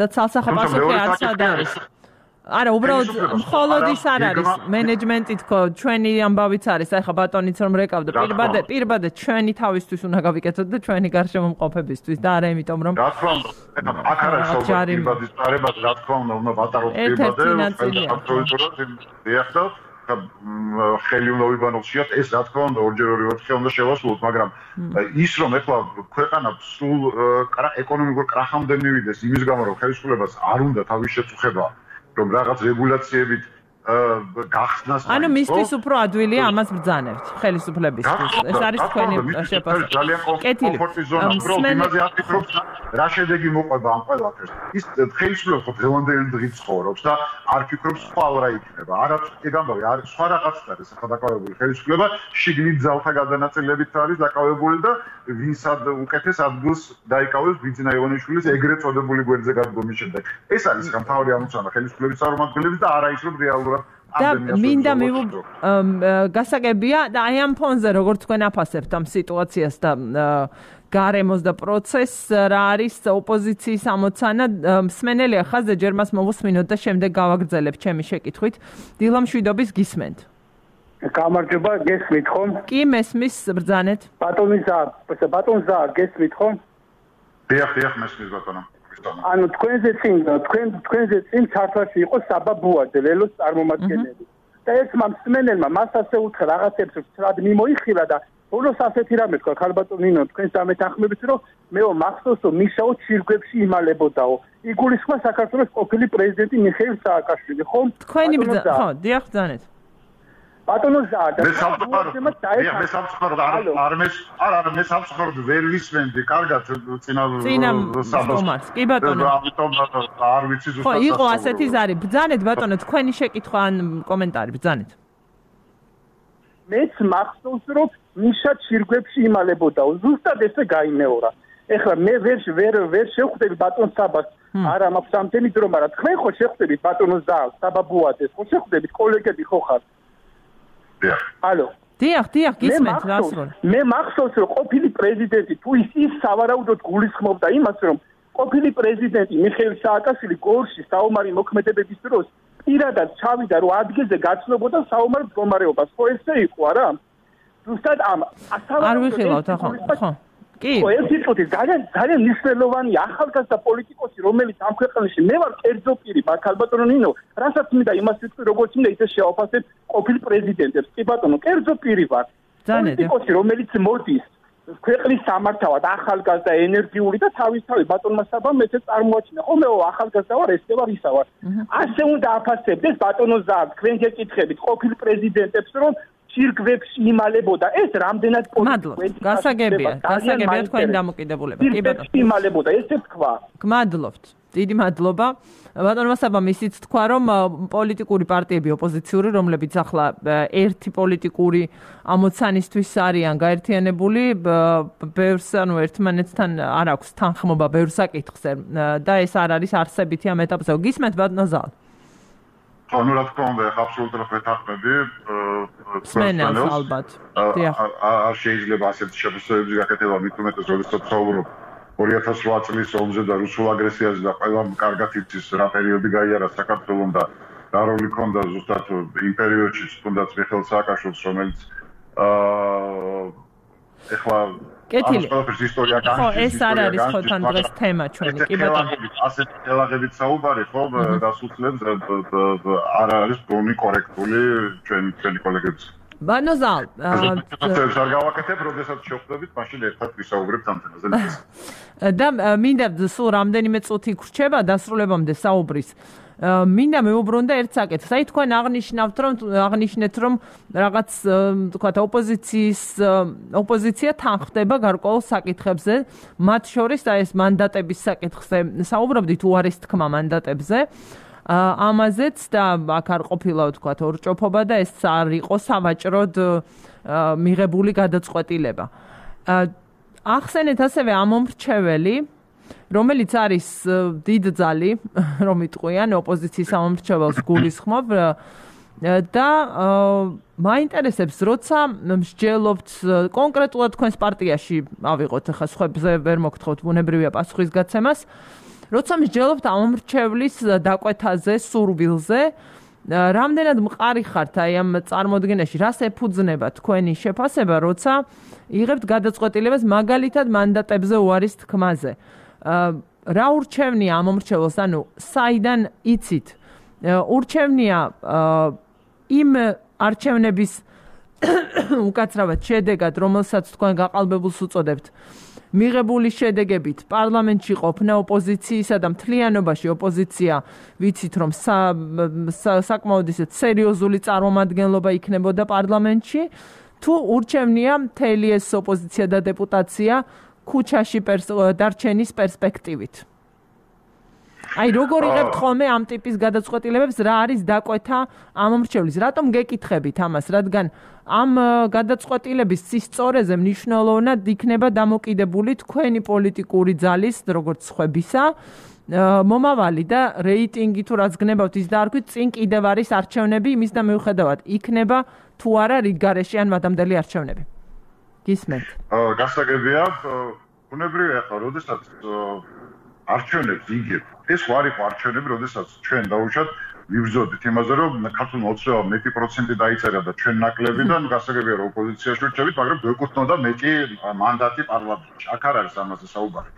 და ცალსახე პასუხი არც არის. არა, უბრალოდ მხოლოდ ის არ არის მენეჯმენტი თქო, ჩვენი ამბავიც არის, აი ხა ბატონიც რომ რეკავდა, პირბადე ჩვენი თავისთვის უნდა გავიკეთოთ და ჩვენი გარშემომყოფებისთვის და არა იმიტომ რომ რა თქმა უნდა, აქ არის პირბადის წარება, რა თქმა უნდა ვატაროთ პირბადე, ხელი უნდა ვიბანოთ, ეს რა თქმა უნდა ორჯერ ოთხე უნდა შევასრულოთ, მაგრამ ის რომ ეხლა ქვეყანა სულ ეკონომიკურ კრახამდე მივიდეს იმის გამო რომ ხელისუფლებას არ უნდა თავის შეწუხება რომ რაღაც რეგულაციებით გახსნას ანუ მისთვის უფრო ადვილია ამას ბრძანებთ ხელისუფლებისთვის ეს არის თქვენი შეფასება ძალიან კომფორტი ზონა უბრალოდ იმაზე აფიქრობთ რა შედეგი მოყვება ამ ყველაფერს ის ხელისუფლება დღევანდელი დღით ცხოვრობს და არ ფიქრობს ხვალ რა იქნება არც ეგ ამბავი არის სხვა რაღაცა არის ახლა დაკავებული ხელისუფლება შიგნით ძალთა გადანაწილებით არის დაკავებული და ვინსად უკეთეს ადგილს დაიკავებს ბიძინა ივანიშვილის ეგრეთ წოდებული გვერდზე გადგომის შემდეგ ეს არის მთავარი ამოცანა ხელისუფლების წარმომადგენლების და არა ის რომ რეალურად და მინდა გასაგებია და აი ამ ფონზე როგორც თქვენ აფასებთ ამ სიტუაციას და გარემოს და პროცესს რა არის ოპოზიციის ამოცანა მსმენელია ხაზზე ჯერ მას მოვუსმინოთ და შემდეგ გავაგრძელებ ჩემი შეკითხვით დილა მშვიდობის გისმენთ გამარჯობა გესმით ხომ კი მესმის ბრძანეთ ბატონი ზა გესმით ხომ დიახ მესმის ბატონო ანუ თქვენზე წინ ჩართვაში იყო საბა ბუაძე ლელოს წარმომადგენელი და ეს მსმენელმა მას ასე უთხრა რაღაცებს სწრად მიმოიხილა და ბოლოს ასეთი რამე თქვა ქალბატონ ნინო თქვენს დამეთანხმებით რომ მეო მახსოვს რომ მისაო ჩირგვებში იმალებოდაო იგულისხმა საქართველოს ყოფილი პრეზიდენტი მიხეილ სააკაშვილი ხო თქვენი ხო დიახ ბრძანეთ ბატონო ზა და მე სამწუხაროდ ვერ ვისმენდი კარგად წინა საბას კი ბატონო ამიტომ არ ვიცი ზუსტად ხო იყო ასეთი ზარი ბრძანეთ ბატონო თქვენი შეკითხვა ან კომენტარი ბრძანეთ მეც მახსოვს რომ მიშა ჩირგვებში იმალებოდაო ზუსტად ესე გაიმეორა ეხლა მე ვერ შევხვდები ბატონ საბას არა მაქვს ამდენი დრო მაგრამ თქვენ ხო შევხვდებით ბატონო ზა საბა ბუაძეს ხო შევხვდებით კოლეგები ხო ხარ ალო დიახ გისმენთ რასროლ მე მახსოვს რომ ყოფილი პრეზიდენტი თუ ის სავარაუდოდ გულისხმობდა იმას რომ ყოფილი პრეზიდენტი მიხეილ სააკაშვილი გორში საომარი მოქმედებების დროს პირადად ჩავიდა რომ ადგილზე გაცნობოდა საომარ მდგომარეობას ხო ესე იყო არა ზუსტად ამ არ ვიხილავთ ახლა ხო კი ეს ის ძალიან მნიშვნელოვანი ახალგაზრდა პოლიტიკოსი რომელიც ამ ქვეყანაში მე ვარ კერძო პირი ბაქალბატონო ნინო რასაც მინდა იმას ვიტყვი როგორც მინდა ისე შევაფასებ ყოფილ პრეზიდენტებს კი ბატონო კერძო პირი ვარ პოლიტიკოსი რომელიც მოდის ქვეყნის სამართავად ახალგაზრდა ენერგიული და თავისთავად ბატონმა საბამ მეც წარმოაჩინა ხო მეო ახალგაზრდა ვარ ესე ვარ ისა ვარ ასე უნდა აფასებდეს ბატონო ზა თქვენ გეკითხებით ყოფილ პრეზიდენტებს რომ ჩირგვებში იმალებოდა ეს რამდენად პოლიტიკოსი გასაგებია თქვენი დამოკიდებულება კი ბატონო იმალებოდა ესე თქვა გმადლობთ დიდი მადლობა ბატონო საბამ ისიც თქვა რომ პოლიტიკური პარტიები ოპოზიციური რომლებიც ახლა ერთი პოლიტიკური ამოცანისთვის არიან გაერთიანებული ბევრს ანუ ერთმანეთთან არ აქვს თანხმობა ბევრ საკითხზე და ეს არ არის არსებითი ამ ეტაპზე გისმენთ ბატონო ზალ ანუ რა თქმა უნდა აბსოლუტურად ვეთანხმები სმენელს ალბათ არ შეიძლება ასეთი შეფასებები გაკეთება მით უმეტეს როდესაც ვსაუბრობ 2008 წლის ომზე და რუსულ აგრესიაზე და ყველა კარგად იცის რა პერიოდი გაიარა საქართველოს და რა როლი ჰქონდა ზუსტად იმ პერიოდში თუნდაც მიხეილ სააკაშვილს რომელიც ეხლა კეთილი ეს ისტორია ხო ეს არ არის ხო თან დღეს თემა ჩვენი კი ბატონო ასეთ ელაღებით საუბარი ხო დასუსლებს არ არის გონი კორექტული ჩვენი კოლეგებს ბატონო ზალ არ გავაკეთებ როდესაც შევხვდებით მაშინ ერთად ვისაუბრებთ ამ თემაზე და მინდა სულ რამდენიმე წუთი გრჩება დასრულებამდე საუბრის მინდა მეუბრუნდა ერთ საკითხს. აი თქვენ აღნიშნეთ რომ რაღაც თქვა ოპოზიცია თანხდება გარკვეულ საკითხებზე, მათ შორის აი ეს მანდატების საკითხზე საუბრობდით უარის თქმა მანდატებზე. ამაზეც და აქ არ ყოფილა თქვა ორჭოფობა და ეს არ იყო სავაჭროდ მიღებული გადაწყვეტილება. ახსენეთ ასევე ამომრჩეველი, რომელიც არის დიდძალი, რომ იტყვიან ოპოზიციის ამომრჩეველს გულისხმობ და მაინტერესებს, როცა მსჯელობთ კონკრეტულად თქვენს პარტიაში, ავიღოთ ახლა სხვებზე ვერ მოგთხოვთ ბუნებრივია პასუხისგაცემას, როცა მსჯელობთ ამომრჩევლის დაკვეთაზე, სურვილზე, რამდენად მყარი ხართ აი ამ წარმოდგენაში, რას ეფუძნება თქვენი შეფასება, როცა იღებთ გადაწყვეტილებას მაგალითად მანდატებზე უარის თქმაზე. რა ურჩევნია ამომრჩეველს, ანუ საიდან იცით? ურჩევნია იმ არჩევნების უკაცრავად შედეგად, რომელსაც თქვენ გაყალბებულს უწოდებთ, მიღებული შედეგებით პარლამენტში ყოფნა ოპოზიციისა და მთლიანობაში ოპოზიცია ვიცით რომ საკმაოდ ისეთ სერიოზული წარმომადგენლობა იქნებოდა პარლამენტში თუ ურჩევნია მთელი ეს ოპოზიცია და დეპუტაცია ქუჩაში დარჩენის პერსპექტივით. Ai როგორ იღებთ ხოლმე ამ ტიპის გადაწყვეტილებებს, რა არის დაკვეთა ამომრჩევლის? რატომ გეკითხებით ამას, რადგან ამ გადაწყვეტილების სისწორეზე მნიშვნელოვნად იქნება დამოკიდებული თქვენი პოლიტიკური ძალის, როგორც ხვებისა, მომავალი და რეიტინგი თუ რაც გნებავთ ის დაარქვით, წინ კიდევ არის არჩევნები, იმის და მიუხედავად იქნება თუ არა რიგ გარეშე ან მადამდელი არჩევნები. გისმენთ? გასაგებია, ბუნებრივია ახლა, როდესაც არჩევნებს იგებ, ეს ვარ იყო არჩევნები, როდესაც ჩვენ დაუშვათ ვიბრძოდით იმაზე, რომ ქართულმა ოცნებამ მეტი პროცენტი დაიწერა და ჩვენ ნაკლებიდან გასაგებია რომ ოპოზიციაში ვირჩევით, მაგრამ გვეკუთვნოდა მეტი მანდატი პარლამენტში. აქ არ არის ამაზე საუბარი.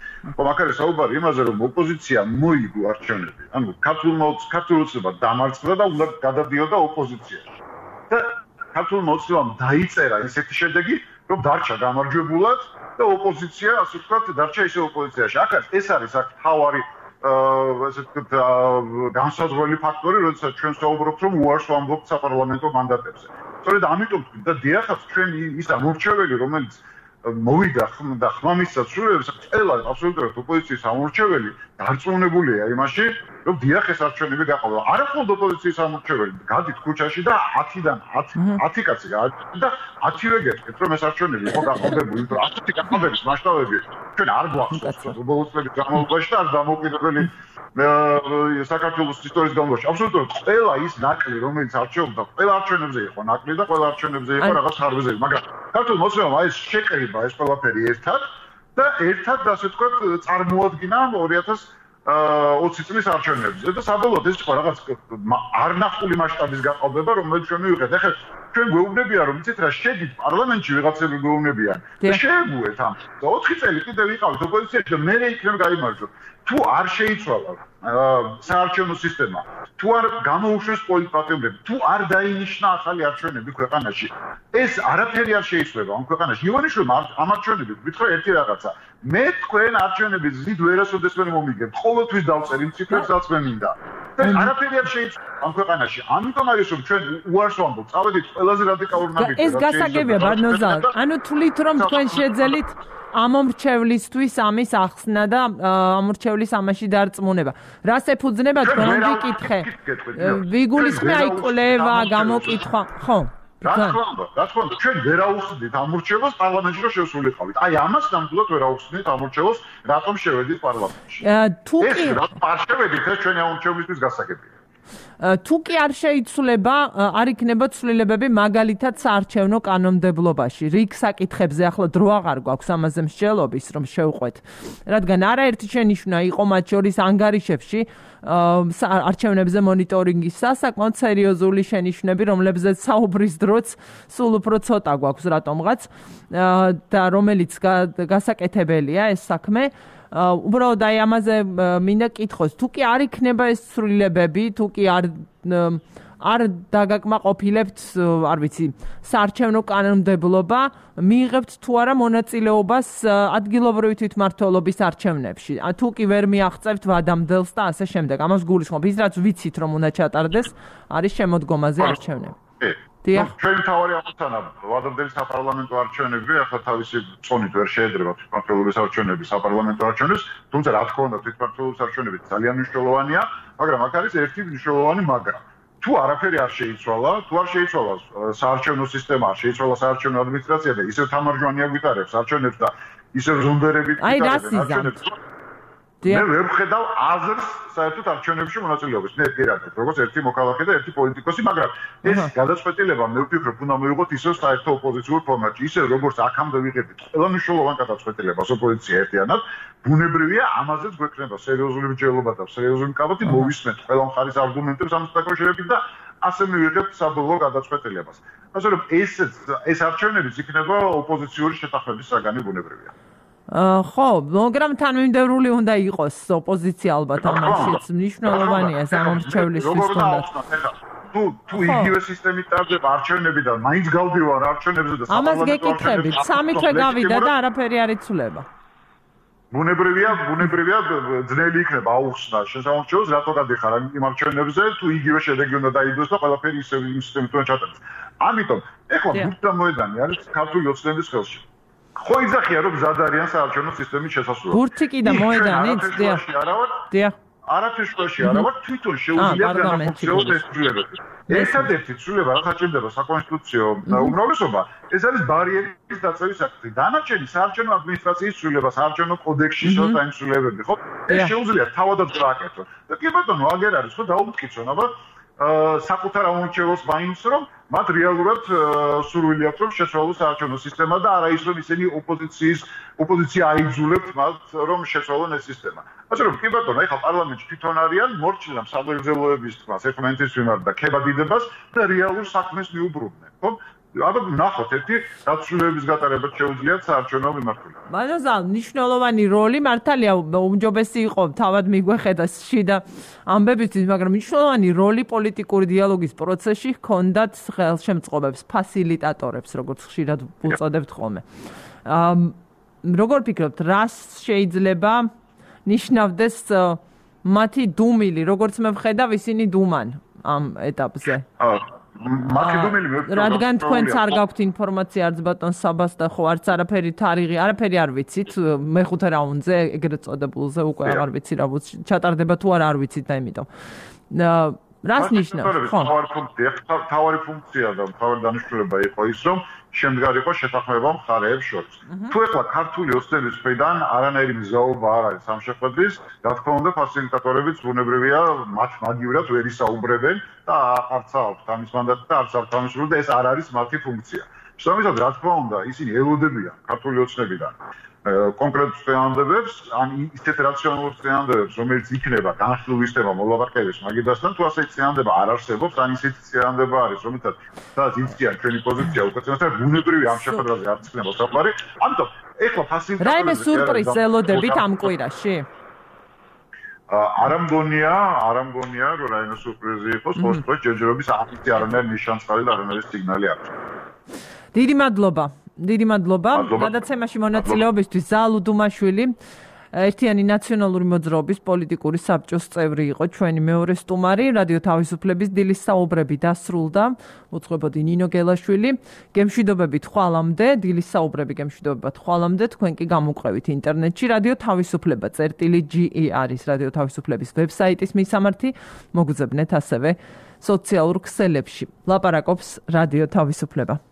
აქ არის საუბარი იმაზე, რომ ოპოზიცია მოიგო არჩევნები. ანუ ქართულმა ოცნებამ დამარცხდა და უნდა გადადიოდა ოპოზიციაში. და ქართულმა ოცნებამ დაიწერა ესეთი შედეგი, რომ დარჩა გამარჯვებულად და ოპოზიცია, ასე ვთქვათ, დარჩა ისე ოპოზიციაში. აქაც ეს არის აქ თავარი ესე ვთქვათ, განსაზღვრელი ფაქტორი, როდესაც ჩვენ საუბრობთ, რომ უარს ვამბობთ საპარლამენტო მანდატებზე. სწორედ ამიტომ თქვით და დიახაც ჩვენ ის ამორჩეველი, რომელიც მოვიდა და ხმამისსაც სრულებს, ყველა აბსოლუტურად ოპოზიციის ამორჩეველი დარწმუნებულია იმაში, რომ დიახ ეს არჩევნები გაყოლა. არა მხოლოდ ოპოზიციის ამორჩეველი, გადით ქუჩაში და 10-დან 10 კაცი და 10-ვე გეტყვით, რომ ეს არჩევნები იყო გაყოლებული, იმიტომ რომ 10 გაყოლების მასშტაბები ჩვენ არ გვახსოვს ბოლო წლების განმავლობაში და არ დამოუკიდებელი საქართველოს ისტორიის განმავლობაში. აბსოლუტურად ყველა ის ნაკლი, რომელიც არჩეულობდა, ყველა არჩევნებზე იყო ნაკლი და ყველა არჩევნებზე იყო რაღაც ხარბზე, მაგრამ ქართულმა ოცნებამ ეს შეკრიბა ეს ყველაფერი ერთად და ერთად ასე ვთქვათ წარმოადგინა 2020 წლის არჩევნებზე და საბოლოოდ ეს იყო რაღაც არნახული მასშტაბის გაყალბება, რომელიც ჩვენ მივიღეთ. ახლა ჩვენ გვეუბნებიან, რომ იცით რა, შედით პარლამენტში ვიღაცები გვეუბნებიან და შეეგუეთ ამ. 4 წელი კიდევ ვიყავით ოპოზიციაში და მე იქნებ გაიმარჯვოთ. თუ არ შეიცვალა საარჩევნო სისტემა, თუ არ გამოუშვეს პოლიტპატიმრები, თუ არ დაინიშნა ახალი არჩევნები ქვეყანაში, ეს არაფერი არ შეიცვლება ამ ქვეყანაში. ივანიშვილმა ამ არჩევნებით გითხრა ერთი რაღაცა. მე თქვენ არჩევნების ზიდ ვერასოდეს ვერ მომიგებთ. ყოველთვის დავწერი ციფრებსაც მე მინდა. და არაფერი არ შეიცვლება ამ ქვეყანაში. ამიტომ არის რომ ჩვენ უარს ვამბობთ, წავედით ყველაზე რადიკალურ ნაბიჯზე. ეს გასაგებია ბარნოზა. ანუ თვლით რომ თქვენ შეძელით ამომრჩევლისთვის ამის ახსნა და ამომრჩევლის ამაში დარწმუნება. რას ეფუძნება თქვენ ვიკითხე? ვიგულისხმე აი კვლევა, გამოკითხვა, ხო? რა თქმა უნდა, ჩვენ ვერაუხსნით ამორჩევლს პარლამენტში რომ შევსრულიყავით. აი ამას ნამდვილად ვერაუხსნით ამორჩევლს, რატომ შევედით პარლამენტში. თუ კი არ შევედით, ეს ჩვენი ამორჩევლისთვის გასაგებია. თუ კი არ შეიცვლება, არ იქნება ცვლილებები მაგალითად საარჩევნო კანონმდებლობაში. რიგ საკითხებზე ახლა დრო აღარ გვაქვს ამაზე მსჯელობის, რომ შევყვეთ. რადგან არაერთი შენიშვნა იყო მათ შორის ანგარიშებში არჩევნებზე მონიტორინგის საკმაოდ სერიოზული შენიშვნები, რომლებზეც საუბრის დროც სულ უფრო ცოტა გვაქვს რატომღაც და რომელიც გასაკეთებელია ეს საქმე. უბრალოდ აი ამაზე მინდა კითხოს, თუ კი არ იქნება ეს ცვლილებები, თუ კი არ დაგაკმაყოფილებთ, არ ვიცი, საარჩევნო კანონმდებლობა, მიიღებთ თუ არა მონაწილეობას ადგილობრივი თვითმმართველობის არჩევნებში. თუ კი ვერ მიაღწევთ ვადამდელს და ასე შემდეგ. ამას გულისხმობ, ის რაც ვიცით რომ უნდა ჩატარდეს, არის შემოდგომაზე არჩევნები. ჩვენ თავარი ამოცანა ვადამდელი საპარლამენტო არჩევნები ახლა თავისი წონით ვერ შეედრება თვითმმართველობის არჩევნები საპარლამენტო არჩევნებს, თუმცა რა თქმა უნდა თვითმმართველობის არჩევნები ძალიან მნიშვნელოვანია, მაგრამ აქ არის ერთი მნიშვნელოვანი მაგრამ. თუ არაფერი არ შეიცვალა, თუ არ შეიცვალა საარჩევნო სისტემა, არ შეიცვალა საარჩევნო ადმინისტრაცია და ისევ თამარჯვანია გვიტარებს არჩევნებს და ისევ ზონდერებით ვიკარებენ. მე ვერ ვხედავ აზრს საერთოდ არჩევნებში მონაწილეობის. მე პირადად როგორც ერთი მოქალაქე და ერთი პოლიტიკოსი, მაგრამ ეს გადაწყვეტილება მე ვფიქრობ უნდა მივიღოთ ისევ საერთო ოპოზიციურ ფორმატში, ისევ როგორც აქამდე ვიღებთ ყველა მნიშვნელოვან გადაწყვეტილებას ოპოზიცია ერთიანად, ბუნებრივია ამაზეც გვექნება სერიოზული მსჯელობა და სერიოზული კაბოთი მოვისმენთ ყველა მხარის არგუმენტებს ამის დაკავშირებით და ასე მივიღებთ საბოლოო გადაწყვეტილებას. ასე რომ ეს არჩევნებიც იქნება ოპოზიციური შეთანხმების საგანი ბუნებრივია. ხო, მაგრამ თანმიმდევრული უნდა იყოს ოპოზიცია ალბათ ამაშიც მნიშვნელოვანია სამომრჩევლისთვის თუნდაც. თუ იგივე სისტემით ტარდება არჩევნები და მაინც გავდივარ არჩევნებზე და ამას გეკითხებით, სამი თვე გავიდა და არაფერი არ იცვლება. ბუნებრივია ძნელი იქნება აუხსნა შესამორჩევლს რატო გადიხარ იმ არჩევნებზე თუ იგივე შედეგი უნდა დაიდოს და ყველაფერი ისევ იმ სისტემით უნდა ჩატარდეს. ამიტომ ეხლა ბურთა მოედანი არის ქართული ოცნების ხელში. ხო იძახია რომ მზად არიან საარჩევნო სისტემის შესასრულებლად. ბურთი კი და მოედანიც, დიახ. არაფერში არა ვარ თვითონ შეუძლია განახორციელოს ეს ცვლილებები. ერთადერთი ცვლილება რაც ჭირდება საკონსტიტუციო უმრავლესობა, ეს არის ბარიერის დაწევის აქტი. დანარჩენი საარჩევნო ადმინისტრაციის ცვლილება, საარჩევნო კოდექსში ცოტა იმ ცვლილებები, ხო? ეს შეუძლია თავადაც გააკეთო. და კი ბატონო, აგერ არის ხო დაუმტკიცონ, აბა საკუთარ ამორჩევლს მაინც რომ მათ რეალურად სურვილი აქვს რომ შეცვალოს საარჩევნო სისტემა და არა ის რომ ისინი ოპოზიცია აიძულებთ მათ რომ შეცვალონ ეს სისტემა. ასე რომ კი ბატონო, ეხლა პარლამენტში თვითონ არიან მორჩილამ სამგრძელოების თქმას ერთმანეთის მიმართ და ქებადიდებას და რეალურ საქმეს მიუბრუნდნენ, ხო? აბა ნახოთ ერთი დაცვლილებების გატარებაც შეუძლიათ საარჩევნო მიმართულება. მანოზალ მნიშვნელოვანი როლი მართალია უმჯობესი იყო თავად მიგვეხედა შიდა ამბებისთვის, მაგრამ მნიშვნელოვანი როლი პოლიტიკური დიალოგის პროცესში ჰქონდათ ხელშემწყობებს, ფასილიტატორებს, როგორც ხშირად უწოდებთ ხოლმე. როგორ ფიქრობთ, რას შეიძლება ნიშნავდეს მათი დუმილი, როგორც მე ვხედავ, ისინი დუმან ამ ეტაპზე? რადგან თქვენც არ გაქვთ ინფორმაცია არც ბატონ საბას და ხო არც არაფერი თარიღი, არაფერი არ ვიცით მეხუთე რაუნდზე, ეგრეთ წოდებულზე უკვე აღარ ვიცი რა ჩატარდება თუ არ ვიცით და იმიტომ. რას ნიშნავს? ხო. თავარი ფუნქცია და თავარი დანიშნულება იყო ის, რომ შემდგარიყო შეთანხმება მხარეებს შორის. თუ ეხლა ქართული ოცნების მხრიდან არანაირი მზაობა არ არის ამ შეხვედრის, რა თქმა უნდა, ფასილიტატორებიც ბუნებრივია მათ მაგივრად ვერ ისაუბრებენ და არც აქვთ ამის მანდატი და არც აქვთ ამის სურვილი და ეს არ არის მათი ფუნქცია. შესაბამისად, რა თქმა უნდა, ისინი ელოდებიან ქართული ოცნებიდან კონკრეტულ წინააღმდეგებს, ან ისეთ რაციონალურ წინააღმდეგებს, რომელიც იქნება განხილული სისტემა მოლაპარაკების მაგიდასთან, თუ ასე წინააღმდება არ არსებობს, ან ისეთი წინააღმდება არის, რომელთაც სადაც იციან ჩვენი პოზიცია უკეთესად, ბუნებრივი ამ შეხვედრაზე არ იქნება საუბარი. ამიტომ ეხლა ფასილიტატორები რაიმე სურპრიზს ელოდებით ამ კვირაში? არ ამგონია, რომ რაიმე სურპრიზი იყოს, ხოლო ჯერჯერობის აქტი არანაირი ნიშანსხალი და არანაირი სიგნალი არ აქვს. დიდი მადლობა გადაცემაში მონაწილეობისთვის. ზალუ დუმაშვილი ერთიანი ნაციონალური მოძრაობის პოლიტიკური საბჭოს წევრი იყო ჩვენი მეორე სტუმარი. რადიო თავისუფლების დილის საუბრები დასრულდა. უწყებოდი ნინო გელაშვილი. გემშვიდობებით ხვალამდე, დილის საუბრები გემშვიდობებად ხვალამდე. თქვენ კი გამოგვყევით ინტერნეტში. რადიო თავისუფლება წერტილი.ge არის რადიო თავისუფლების ვებსაიტის მისამართი. მოგუძებნეთ ასევე სოციალურ ქსელებში. ლაპარაკობს რადიო თავისუფლება.